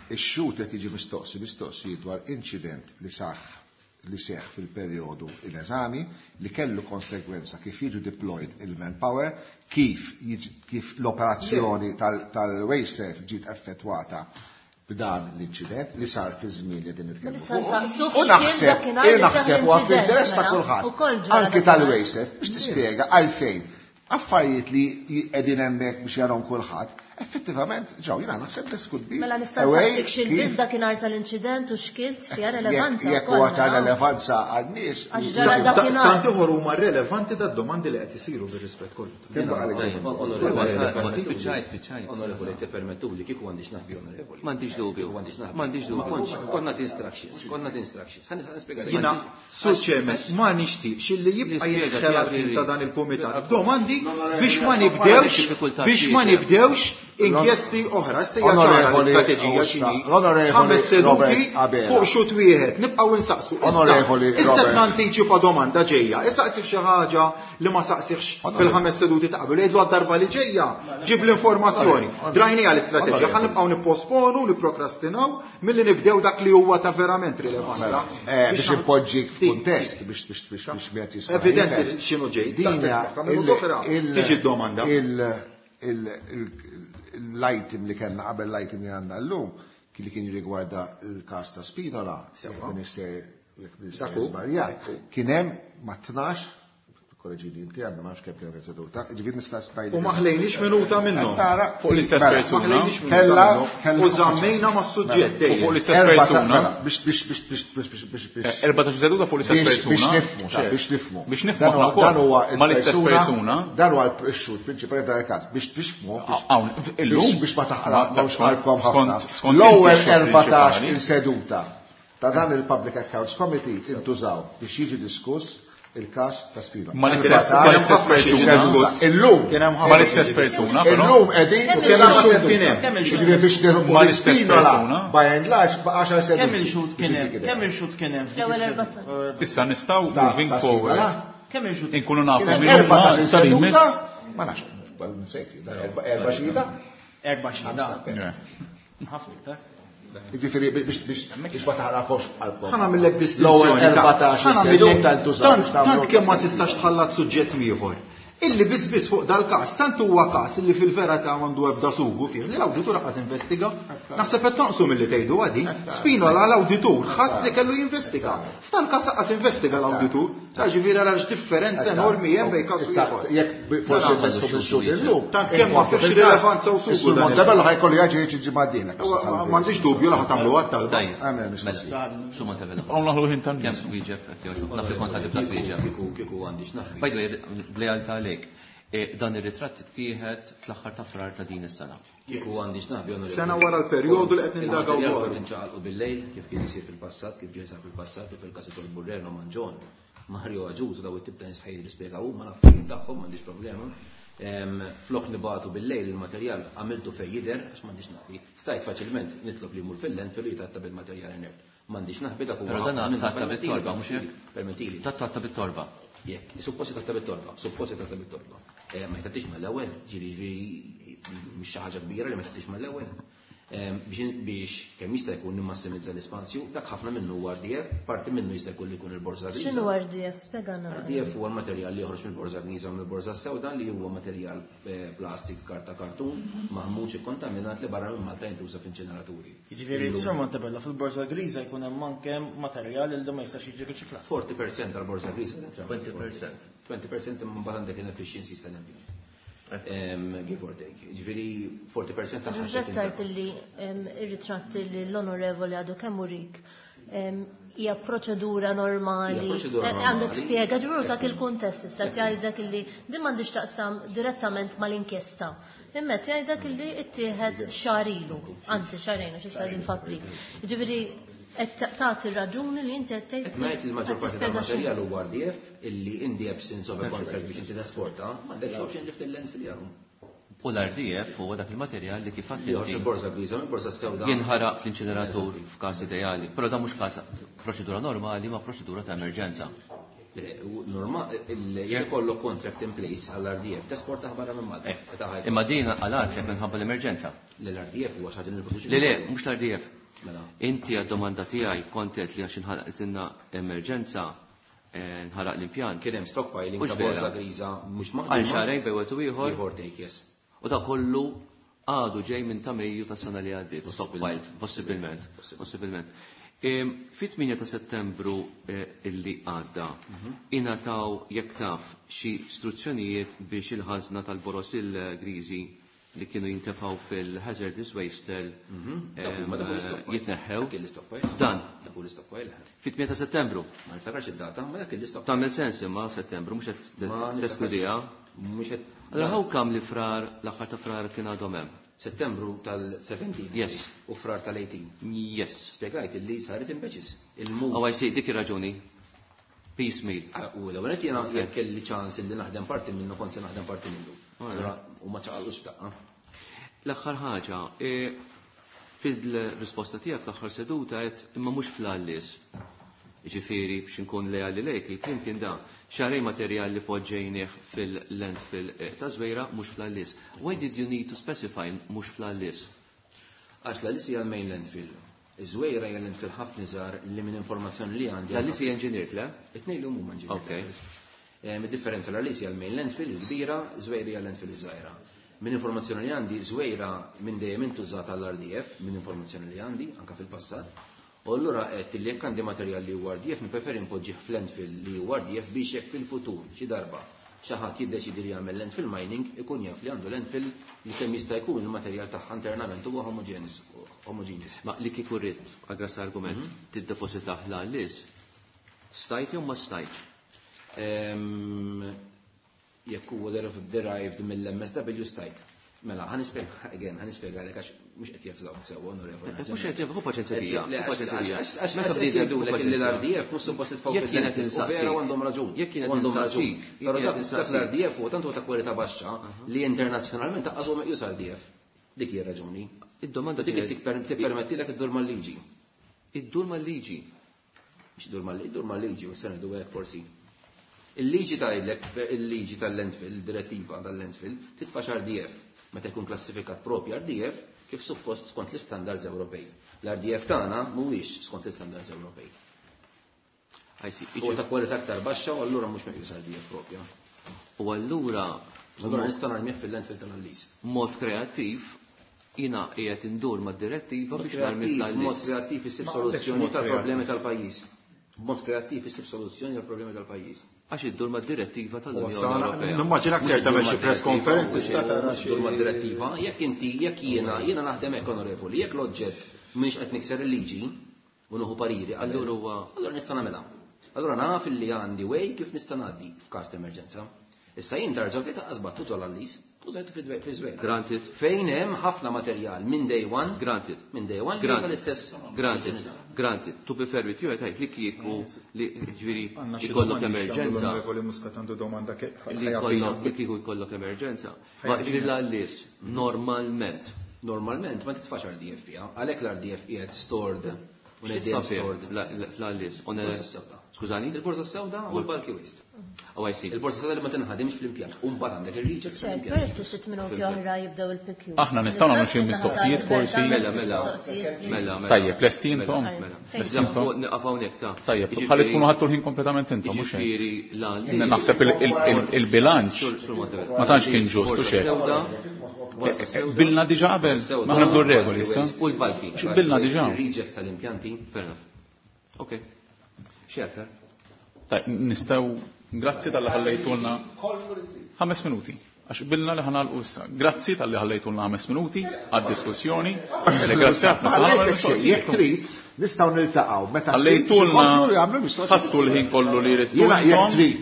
Ix-xhud qed jiġi mistoqsi mistoqsi dwar inċident li saħ li seħ fil-perjodu in eżami li kellu konsegwenza kif jiġu deployed il-manpower, kif, kif l-operazzjoni tal-WasteServ ġiet effettwata b'dan l-inċident li sar fi żmien li din nitkellmu. U naħseb, naħseb huwa fl-interess ta' kulħadd, anki tal-WasteServ biex tispjega għalfejn affarijiet li qegħdin hemmhekk biex jarahom kulħadd, effettivament ġew jiena naħseb this could be. Mela nista' nsaqsik x'ilbiż dakinhar tal-inċident u x'kilt fiha relevanza. Jekk huwa ta' relevanza għan-nies. Għax ġara dakinhar. Tant ieħor huma relevanti tad-domandi li qed isiru bir-rispett kollu. Spiċċajt, spiċċajt. Onorevoli, tippermettuli kieku għandix naħbi onorevoli. M'għandix dubju. M'għandix dubju. Konna instructions, konna instructions. Ħa nispjega. Jiena Sur Chairman, ma nixtieqx illi jibqa' jinħela ta' dan il-kumitat. Domandi biex ma nibdewx biex ma nibdewx inkjesti oħra, issa hija ċara l-istrateġija x'inhi. Ħames seduti fuq xut wieħed, nibqgħu insaqsu. Issa qed nantiċipa domanda ġejja, issaqsih xi ħaġa li ma saqsihx fil-ħames seduti ta' qabel, jgħidlu għad-darba li ġejja, ġib l-informazzjoni. Drajnija l-istrateġija, ħa nibqgħu nipposponu, nipprokrastinaw milli nibdew dak li huwa ta' verament rilevanza. Biex impoġġik f'kuntest biex biex biex biex wieħed jista' Evidenti x'inhu ġej. Tiġi d-domanda. L-item li kellna qabel l-item li għandna llum li kien jirrigwarda l-każ ta' Spinola, żbaljat, kien hemm ma' tnax, korreġini inti għandna ma nafx kemm kienet seduta, ġifieri nista' ngħidlek. U ma ħlejniex minuta minnhom. Fuq l-istess persuna. Kella u żammejna mas-suġġett dejjem. Fuq l-istess persuna. Biex biex biex biex biex biex biex. Erbatax seduta fuq l-istess persuna. Biex nifhmu, biex nifhmu. Biex nifhmu aħna wkoll. Ma l-istess persuna. Dan huwa x-xhud prinċipali dan il-każ biex biex nifhmu. Hawn illum biex ma taħraqx qalbkom ħafna. L-ewwel erbatax il-seduta ta' dan il-Public Accounts Committee intużaw biex jiġi diskuss il-każ ta' Spinola. Ma l-istess persuna. Illum. Ma l-istess persuna. Illum qegħdin u kien hemm ġifieri biex nieħu ma l-istess persuna. By and large għaxar seduti. Kemm il-xhud kien hemm? Kemm il-xhud kien hemm? Issa nistgħu moving forward. Kemm il-xhud? Inkunu nafu min huma issa li jmiss. Ma nafx, nsejt, erba' xhieda. Erba' xhieda. Ħafna iktar. Ġifieri biex biex ma taħraqx qalbkom. Ħa nagħmellek distinzjoni. Tant kemm ma tistax tħallat suġġett ieħor. Illi biss biss fuq dal-każ, tant huwa każ illi fil-verità m'għandu ebda sugu fih, li l-awditur qas investiga. Naħseb qed tonqsu milli tgħidu għadi. Spinola l-awditur ħass li kellu jinvestiga. F'dan każ qas investiga l-awditur. Ta' ġifieri ara x'differenza enormi hemm bejn każ ieħor. Jekk forsi investu bil-xhud illum, tant kemm ma fihx rilevanza u sugu. Is-Sur Montebello ħajkollu jaġi jiġi ġimgħa d-dieħla. M'għandix dubju li ħa tagħmlu għat-talba. Sur Montebello. Hawn naħlu ħin tan Kemm twieġeb hekk jogħġbok. Naf li kont ħa tibda twieġeb. Kieku kieku għandix naħbi. By the way, b'lealtà għalek. Dan ir-ritratt ittieħed fl-aħħar ta' frar ta' din is-sena. Kieku għandix naħbi onorevoli. Sena wara l-perjodu li qed nindagaw dwar. Kont inċaqalqu bil-lejl kif kien isir fil-passat, kif ġie sar fil-passat, u fil-każ tal-Burreno Manġon, Mario Aġuż daw it-tip ta' nies ħajr jispjegaw huma naf kif tagħhom m'għandix problema. Flok nibatu bil-lejl il-materjal għamiltu fejn jidher għax m'għandix naħbi. Stajt faċilment nitlob li jmur fil-landfill u jitatta bil-materjal inert. M'għandix naħbi dak huwa. Però dan tatta bit-torba mhux hekk? Permettili. Tatta bit-torba. Jekk, supposti tatta bit-torba, supposti tatta bit-torba. Ma jtattix mal-ewwel, ġieli ġieli mhix xi ħaġa kbira li ma jtattix mal-ewwel. Biex kemm jista' jkun nimmassimizza l-ispazju, dak ħafna minnu huwa R D F, parti minnu jista' jkun li jkun il-borża griża. X'inhu R D F? Spjegana. R D F huwa l-materjal li joħroġ mill-borża griża u mill-borża sewda li huwa materjal plastik, karta, kartun, maħmuġ ikkontaminat li barra minn Malta jintuża f'inċineraturi. Jiġifieri Sur Montebello fil-borża griża jkun hemm anke materjal li ma jistax jiġi riċiklat. forty percent tal-borża griża. twenty percent. twenty percent imma mbagħad għandek inefficiencies tal-ambjent. Give or take. Ġifieri forty percent ta' Ġifieri tajt li ir-ritratti li l-onorevoli għadu kemm urik hija proċedura normali. Għandek spjega ġifieri dak il-kuntest issa tgħidlek illi din m'għandix taqsam direttament mal-inkjesta. Imma tgħidlek illi ttieħed xahar ilu, anzi xahrejn għax issa din f'April. Ġifieri qed tagħti raġuni li inti qed tgħid. Qed ngħid li l-maġġor parti tal-materjal huwa R D F illi in the absence of a contract biex inti tesporta, m'għandekx option li ftit l-landfill jagħmlu. U l-R D F huwa dak il-materjal li kif għadt Joħroġ inti il-borża griża, il-borża sewda. Jinħaraq fl-inċineratur f'każ ideali, però dan mhux każ proċedura normali ma' proċedura ta' emerġenza. Le, u norma, il-, jekk ikollok contract in place għall-R D F, tesporta barra minn Malta. Eh, Meta ħajkun. Imma din għal-art minħabba l-emerġenza. Le, l-R D F huwa xi ħaġa li nipproduċi. Le, le, mhux l-R D F. Mela. Inti għad-domanda tiegħi kontet li għax inħalqtilna emerġenza, eh, nħaraq l-impjant. Kien hemm stockpiling Mhux ta' borża vera. griża mhux maħduma. Għal xahrejn bejn wieħed u ieħor. Give or take, yes. U da kollu għadu ġej minn ta' Mejju tas-sena li għaddiet. Stockpiled, possibilment. Possibilment. Em, fit-tmienja ta' Settembru, eh, illi għadda, Mhm. ingħataw jekk taf xi istruzzjonijiet biex il-ħażna tal-boros il-griżi li kienu jintefgħu fil-hazardous waste cell, Mhm. em, Dak huma dak l-istockpile. jitneħħew. Dak l-istockpile. Dan. Dak l-istockpile. Fit-tmienja ta' Settembru. Ma niftakarx id-data, ma dak l-istockpile. Tagħmel sens imma Settembru mhux qed Ma niftakarx. teskludiha. Mhux qed Allora how come li frar l-aħħar ta' frar kien għadhom hemm? Settembru tal-seventeen. Yes. U frar tal-eighteen. Yes. Spjegajt illi saret in batches. Il-move. Oh, I see, dik ir-raġuni. Piecemeal. Ah, u l-ewwel qed jiena Okay. jekk kelli ċans illi naħdem parti minnu kont se naħdem parti minnu. All right. Allora, u ma ċaqalux f'daqqa. L-aħħar ħaġa, e, fil-risposta tiegħek fl-aħħar seduta qed imma mhux fl-għallis. Ġifieri biex inkun leali lejk, il-kliem kien dan. Xarej materjal li poġġejnieh fil-landfill, eh, ta' Żwejra mhux fl-għallis. Why did you need to specify mhux fl-għallis? Għax l-għallis hija l-main landfill. Iż-Żwejra hija landfill ħafna iżgħar li minn informazzjoni li għandi. L-għallis hija engineered, le? It-tnejn li huma engineered. Okay. Eh, mid-differenza l-għallis hija l-main landfill il-kbira, Żwejra hija landfill iż-żgħira. Minn informazzjoni li għandi, Żwejra minn dejjem intużat għall-R D F, minn informazzjoni li għandi, anka fil-passat. U allura qed li jekk għandi materjal li huwa R D F, nippreferi npoġġih f'landfill li huwa R D F biex jekk fil-futur xi darba xi ħadd jiddeċidi li jagħmel landfill mining ikun jaf li għandu landfill li kemm jista' jkun il-materjal tagħha internament huwa homogeneous, homogeneous. Ma li kieku rrid, għal argument, Mhm. tiddepositah l-għallis, stajt jew ma stajtx? Ehm, jekk huwa derived mill-M S W stajt. Mela, ħa nispjega, again, ħa nispjega għalek għax mhux qed jefżaw sewwa, onorevoli. Eh, mhux qed jefżaw, hu paċenzja Le, bija, hu għax- paċenzja bija. għax- għax- Meta għax bniedem qed jgħidulek hu li l-R D paċenzja. F mhux suppost titfgħu Jekk kienet fil-landfill, u insaqsik. vera għandhom raġun. Jekk kienet Għandhom raġun. insaqsik, jekk Però kienet dak- dak insaqsik. l-R D F huwa tant huwa ta' kwalità baxxa li internazzjonalment taqqas huwa meqjus R D F. Dik hija raġuni. Id-domanda Dik kienet tipper-, tippermettilek iddur mal-liġi. Iddur mal-liġi. Mhux iddur mal-liġi, iddur mal-liġi, u s-sena ngħidu hekk forsi. Il-liġi tgħidlek, il-liġi tal-landfill, il-direttiva tal-landfill, titfax R D F meta jkun klassifikat propju R D F kif suppost skont l-istandards Ewropej. L-R D F tagħna mhuwiex skont l-istandards Ewropej. I see. Huwa ta' kwalità aktar baxxa u allura mhux meqjus R D F propja. U allura Allura nista' narmih fil-landfill tal-Għallis. Mod kreattiv jiena qiegħed indur mad-direttiva Mod biex narmi kreattiv, fl-Għallis. Mod kreattiv issib Ma għandekx soluzzjoni mod tal-problemi kreattiv. tal-pajjiż. Mod kreattiv issib soluzzjoni tal-problemi tal-pajjiż. Għax iddur mad-direttiva tal-Unjoni U sana, Ewropea. Nimmaġinak ser tagħmel xi press conference, Mhux issa tara xi iddur mad-direttiva, jekk inti, jekk jiena, jiena naħdem hekk onorevoli, jekk l-oġġett mhix qed nikser il-liġi u nieħu pariri qabel, Allura huwa allura nista' nagħmilha. Allura naf li għandi way kif nista' ngħaddi f'każ ta' emerġenza. Issa jien tarġaw tgħid taqqas battu ġol għallis, u żajtu fi Żwejra. Granted. Fejn hemm ħafna materjal minn day one. Granted. Minn day one, Granted. tal-istess. Granted. Granted. To be fair with you, għetajt li kieku li ġifieri Għandna xi ikollok domandi x'għandu emerġenza. l-Onorevoli Muscat għandu domanda ke- Li ħajja jkollok, bina. li kieku jkollok emerġenza. Ħajja Ma ġifieri bina. l-għallis, normalment. Normalment ma titfax R D F fiha, għalhekk l-R D F qiegħed stored Fl-għallis. Skużani? Il-borza sewda u l-bulky waste. Oh, I see. Il-borza sewda li ma tinħadimx fl-impjant. U mbagħad għandek ir-rejects fl-impjant. Peress li sitt minuti oħra jibdew il-P Q. Aħna nistgħu nagħmlu xi mistoqsijiet forsi. Mela, mela. Mela, mela. Tajjeb, lesti intom? Lesti intom? Nieqaf hawnhekk ta'. Tajjeb, ħalli tkunu ħadtu l-ħin kompletament intom, mhux hekk. Jiġifieri l-għallis. Naħseb il-bilanċ ma tantx kien ġust u xejn. Bilna diġà qabel, ma nibdu r-regoli issa. U l-bulky. Bilna diġà. Ir-rejects tal-impjanti. Fair enough. Okay. Xerta. Tajjeb, nistgħu grazzi tal-li ħallejtulna ħames minuti. Għax bilna li ħanalqu issa. Grazzi tal-li ħallejtulna ħames minuti għad-diskussjoni. Grazzi ħafna. Jekk trid, nistgħu niltaqgħu meta ħallejtulna ħadtu l-ħin kollu li jrid. Jiena jekk trid,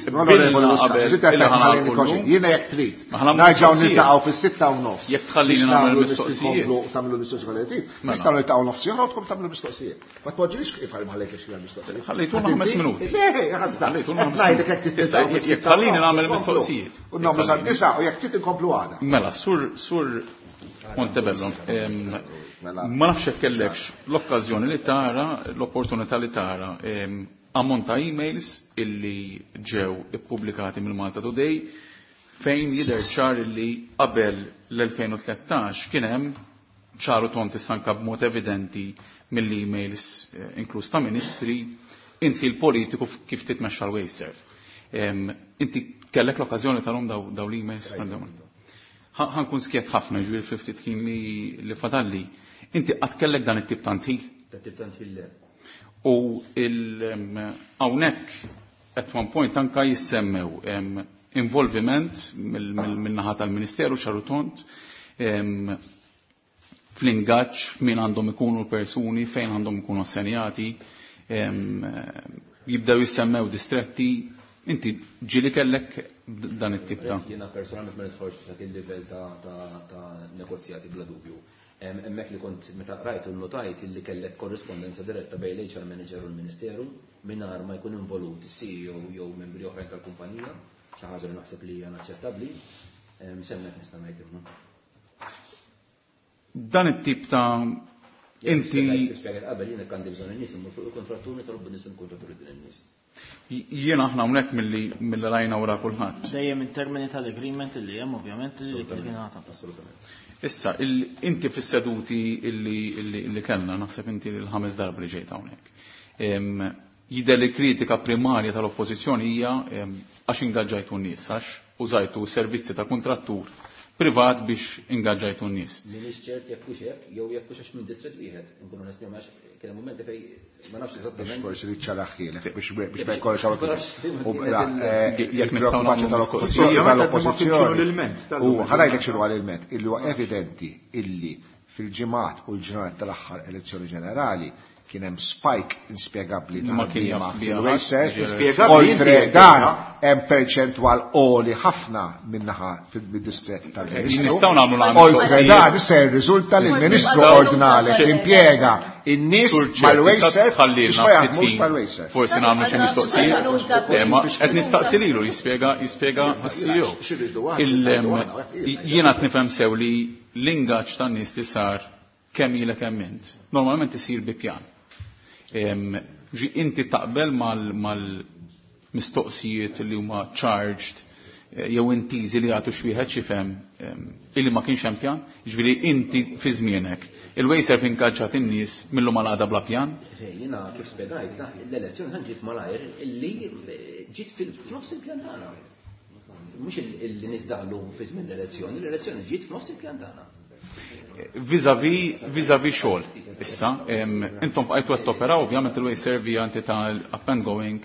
jiena jekk trid. Nerġgħu niltaqgħu fis-sitta u nofs. Jekk tħallini nagħmel mistoqsijiet. Tagħmlu mistoqsijiet kollha trid. Nistgħu niltaqgħu nofs oħra u tkun tagħmlu mistoqsijiet. Ma tpoġġilix kif ħallejt xi mistoqsijiet. Ħallejtulna ħames minuti. Le, ħassa. Ngħidlek jekk trid niltaqgħu. Jekk tħallini nagħmel mistoqsijiet. U nagħmlu sad-disa' u jekk trid inkomplu għada. Mela, sur sur Montebello, ma nafx hekk kellekx l-okkażjoni li tara, l-opportunità li tara ammont ta' emails illi ġew ippubblikati mill-Malta Today fejn jidher ċar illi qabel l-elfejn u tlettax kien hemm ċaru tont issanka b'mod evidenti mill-emails inkluż ta' ministri inti l-politiku kif titmexxa l-WasteServ. Inti kellek l-okkażjoni tarhom daw l-emails? Ħankun skjet ħafna ġifieri fil-ftit ħin li fadalli. Inti qatt kellek dan it-tip ta' ntil? Dan tip ta' ntil le. U hawnhekk at one point anka jissemmew involviment min-naħa tal-Ministeru ċaru tont fl-ingaġġ f'min għandhom ikunu l-persuni, fejn għandhom ikunu assenjati, jibdew jissemmew distretti. Inti ġieli kellek dan it-tip ta' Jiena personalment ma nidħolx f'dak il-livell ta' negozjati bla dubju. Hemmhekk li kont meta rajt u notajt li kellek korrispondenza diretta bejn l-H R manager u l-Ministeru mingħajr ma jkun involut is-C E O jew membri oħrajn tal-kumpanija, xi ħaġa li naħseb li hija inaċċettabbli. Semmek nista' ngħid imma. Dan it-tip ta' inti Spjega qabel jiena għandi bżonn in-nies immur fuq il-kontrattur nitolbu nies mill-kontratturi din in-nies. Jiena aħna hawnhekk milli milli rajna wara kulħadd. Dejjem in termini tal-agreement li hemm ovvjament li kien għata. Assolutament. Issa, inti fis-seduti illi kellna, naħseb inti l-ħames darba li ġejt hawnhekk. Jidher li kritika primarja tal-oppożizzjoni hija għax ingaġġajtu n-nies, għax użajtu servizzi ta' kontrattur privat biex ingaġġajtu n-nies. M'iniex ċert jekk hux hekk jew jekk hux għax minn distret wieħed, inkunu onesti għax kien hemm mumenti fejn ma nafx eżattament. Forsi li ċaraħħielek biex biex ma jkollx hawn. Jekk nistgħu nagħmlu mistoqsija tal-oppożizzjoni. U ħanajlek x'inhu l-ilment, illi huwa evidenti illi fil-ġimgħat u l-ġranet tal-aħħar elezzjoni ġenerali kien hemm spike inspjegabbli ta' ħaddiema fil-WasteServ. Oltre dan hemm perċentwal għoli ħafna min-naħa fid-distrett tal-Ministru. Nistgħu nagħmlu l-għamlu. Oltre dan se jirriżulta li l-Ministru ordnali impjega in-nies mal-WasteServ biex ma jaħdmux mal-WasteServ. Forsi nagħmlu xi mistoqsijiet. Ma qed nistaqsi lilu jispjega jispjega s-C E O. Jiena qed nifhem sew li l-ingaġġ tan-nies li sar kemm ilek hemm int. Normalment isir bi pjan. Ġi inti taqbel mal-mistoqsijiet li huma charged jew intiżi li jagħtu xi wieħed x'ifhem illi ma kienx hemm pjan, jiġifieri inti fi żmienek. Il-WasteServ inkaġġat in-nies millu mal-għada bla pjan? Jiena kif spjegajt, l-elezzjoni ħan ġiet malajr illi ġiet fil-nofs il-pjan tagħna. Mhux il-nies daħlu fi żmien l-elezzjoni, l-elezzjoni ġiet f'nofs il-pjan tagħna. Vis-a-vis, vis-a-vis xogħol. Issa, intom bqajtu qed toperaw, ovvjament il-WasteServ hija entità up and going.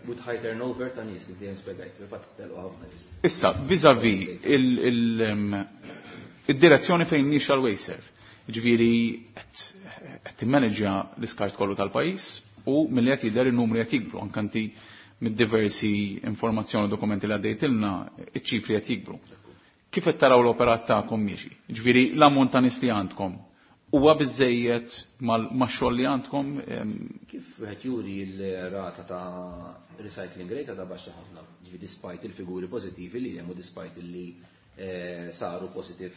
With high turnover ta' nies kif dejjem spjegajt, fil-fatt telqu ħafna nies. Issa, vis-a-vis id-direzzjoni fejn mhix għal-WasteServ. Ġifieri qed timmaneġġja l-iskart kollu tal-pajjiż u milli qed jidher in-numri qed jikbru, anke inti mid-diversi informazzjoni u dokumenti li għaddejtilna, iċ-ċifri qed jikbru. Kif qed taraw l-operat tagħkom miexi? Ġifieri l-ammont ta' nies li għandkom huwa biżejjed max-xogħol li għandkom? Kif wieħed juri l-rata ta' recycling rate għadha baxxa ħafna, ġifieri despite il-figuri pożittivi li hemm u despite li saru positive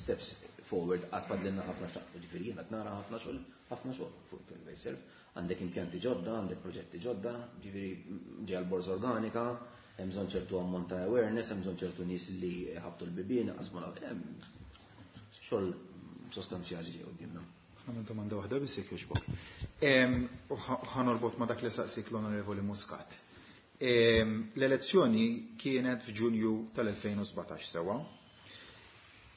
steps forward għad fadlilna ħafna xaqfu, ġifieri jien qed nara ħafna xogħol, ħafna xogħol fuq il-WasteServ. Għandek impjanti ġodda, għandek proġetti ġodda, ġifieri ġej l-borża organika, hemm bżonn ċertu ammont ta' awareness, hemm bżonn ċertu nies li ħabtu l-bibien, qasmu xogħol sostanzjali ġej quddiemna. Għamil domanda waħda biss jekk jogħġbok. Ħa norbot ma' dak li saqsik l-Onorevoli Muscat. L-elezzjoni kienet f'Ġunju tal-elfejn u sbatax sewa.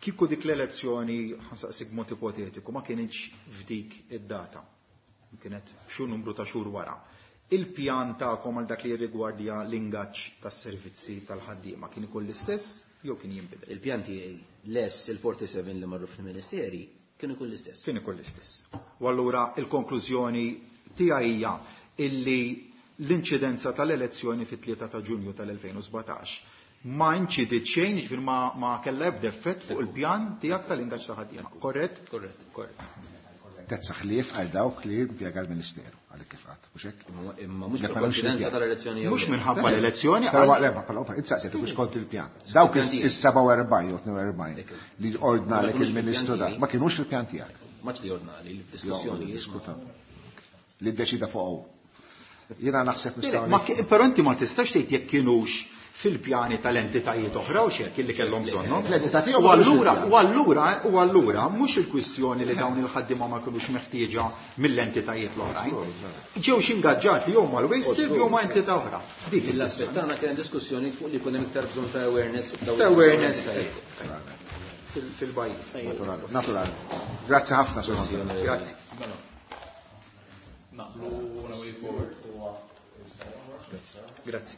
Kieku dik l-elezzjoni, ħa nsaqsik b'mod ipotetiku, ma kienx f'dik id-data. Kienet xu numru ta' xhur wara. Il-pjan tagħkom għal dak li jirrigwardja l-ingaġġ tas-servizzi tal-ħaddiema kien ikun l-istess jew kien jinbidel? Il-pjan tiegħi less il-forty-seven li marru fil-Ministeri kien ikun l-istess. Kien ikun l-istess. U allura il-konklużjoni tiegħi hija illi l-inċidenza tal-elezzjoni fit-tlieta ta' Ġunju tal-elfejn u sbatax ma inċidiet xejn, jiġifieri ma, ma kellha ebda effett fuq il-pjan tiegħek tal-ingaġġ ta' ħaddiema. Korrett? Korrett. Korrett. Tezza ħlief għal dawk li impjega l-Ministeru, għalhekk kif qatt, mhux hekk? Imma mhux Le, bil-konfidenza mhux il-pjan. tal-elezzjoni jew Mhux le. minħabba l-elezzjoni, Però għal- le, ma però, ma insaqsi, mhux kont il-pjan. Dawk Il-pjan tiegħek. is-seba' u erbgħin jew tnejn u erbgħin Ekku. li ordnalek Ma kinux il-Ministru fil-pjan da, tiegħi. ma kinux fil-pjan tiegħek. Maċ li ordnali, l-diskussjoni. Jo, diskuta. Li ddeċida fuq hawn. Jiena naħseb Le, nistgħu ma ki-, però inti ma tistax tgħid jekk kienux fil-pjani tal-entitajiet oħra u xek illi kellhom bżonnhom. L-entità tiegħu U allura, mhux u allura, u allura mhux il-kwistjoni li dawn il-ħaddiema ma kinux meħtieġa mill-entitajiet l-oħrajn. Ġew xi ingaġġati jew mal-WasteServ jew ma' entità oħra. Dik Il-aspett tagħna kien diskussjoni fuq li jkun hemm iktar bżonn ta' awareness f'dawn Ta' awareness. il-entitajiet. Fil-, fil-bajjiet. Naturali, naturali. Grazzi ħafna, Sur Montebello. Grazzi. Naqblu on a way forward. Grazzi.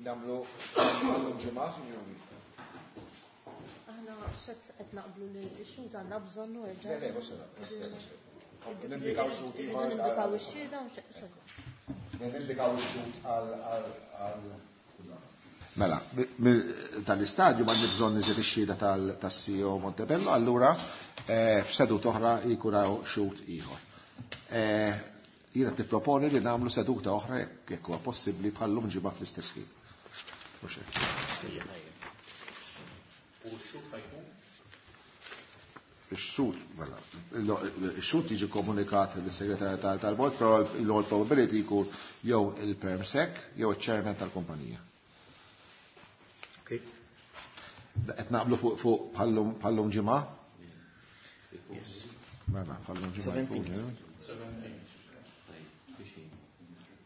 Namlu ġimgħa, signori. Aħna xed qed naqblu li x-xhud għandna bżonnu erġa'. Le, le, mhux se naqblu. Nindikaw x-xhud ieħor. Nindikaw ix-xhieda u x'hekk. Nindikaw ix-xhud għal għal għal Mela, mi-, mi-, tal-istadju ma bżonn niżid ix-xhieda tal-, tas-C E O Montebello, allura, eh, f'seduta oħra jkun hawn xhud ieħor. Eh, jiena tipproponi li nagħmlu seduta oħra jekk, jekk huwa possibbli bħallum ġimgħa fl-istess ħin. Mhux hekk. U x-xhud ħajkun? Ix-xhud, mela, il-, ix-xhud jiġi komunikat lis-segretarju tal-, tal-bord, però l-all probability jkun jew il-permsec jew iċ-chairman tal-kumpanija. Okay. Qed naqblu fuq, fuq bħallum, bħallum ġimgħa? Yes. Mela, bħallum ġimgħa jkun, Seventeenth. eh? Seventeenth.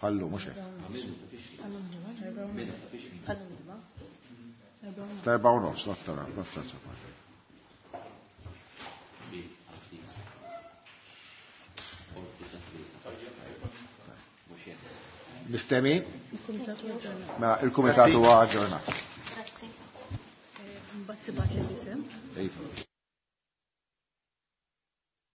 Bħallum, mhux hekk. Bħallum ġimgħa. Fl-erba' u nofs, nofs, nofs, nofs. Miftemi? Mela, il-kumitat huwa aġġornat. Grazzi. Mbagħad tibgħat li l-isem. Iva.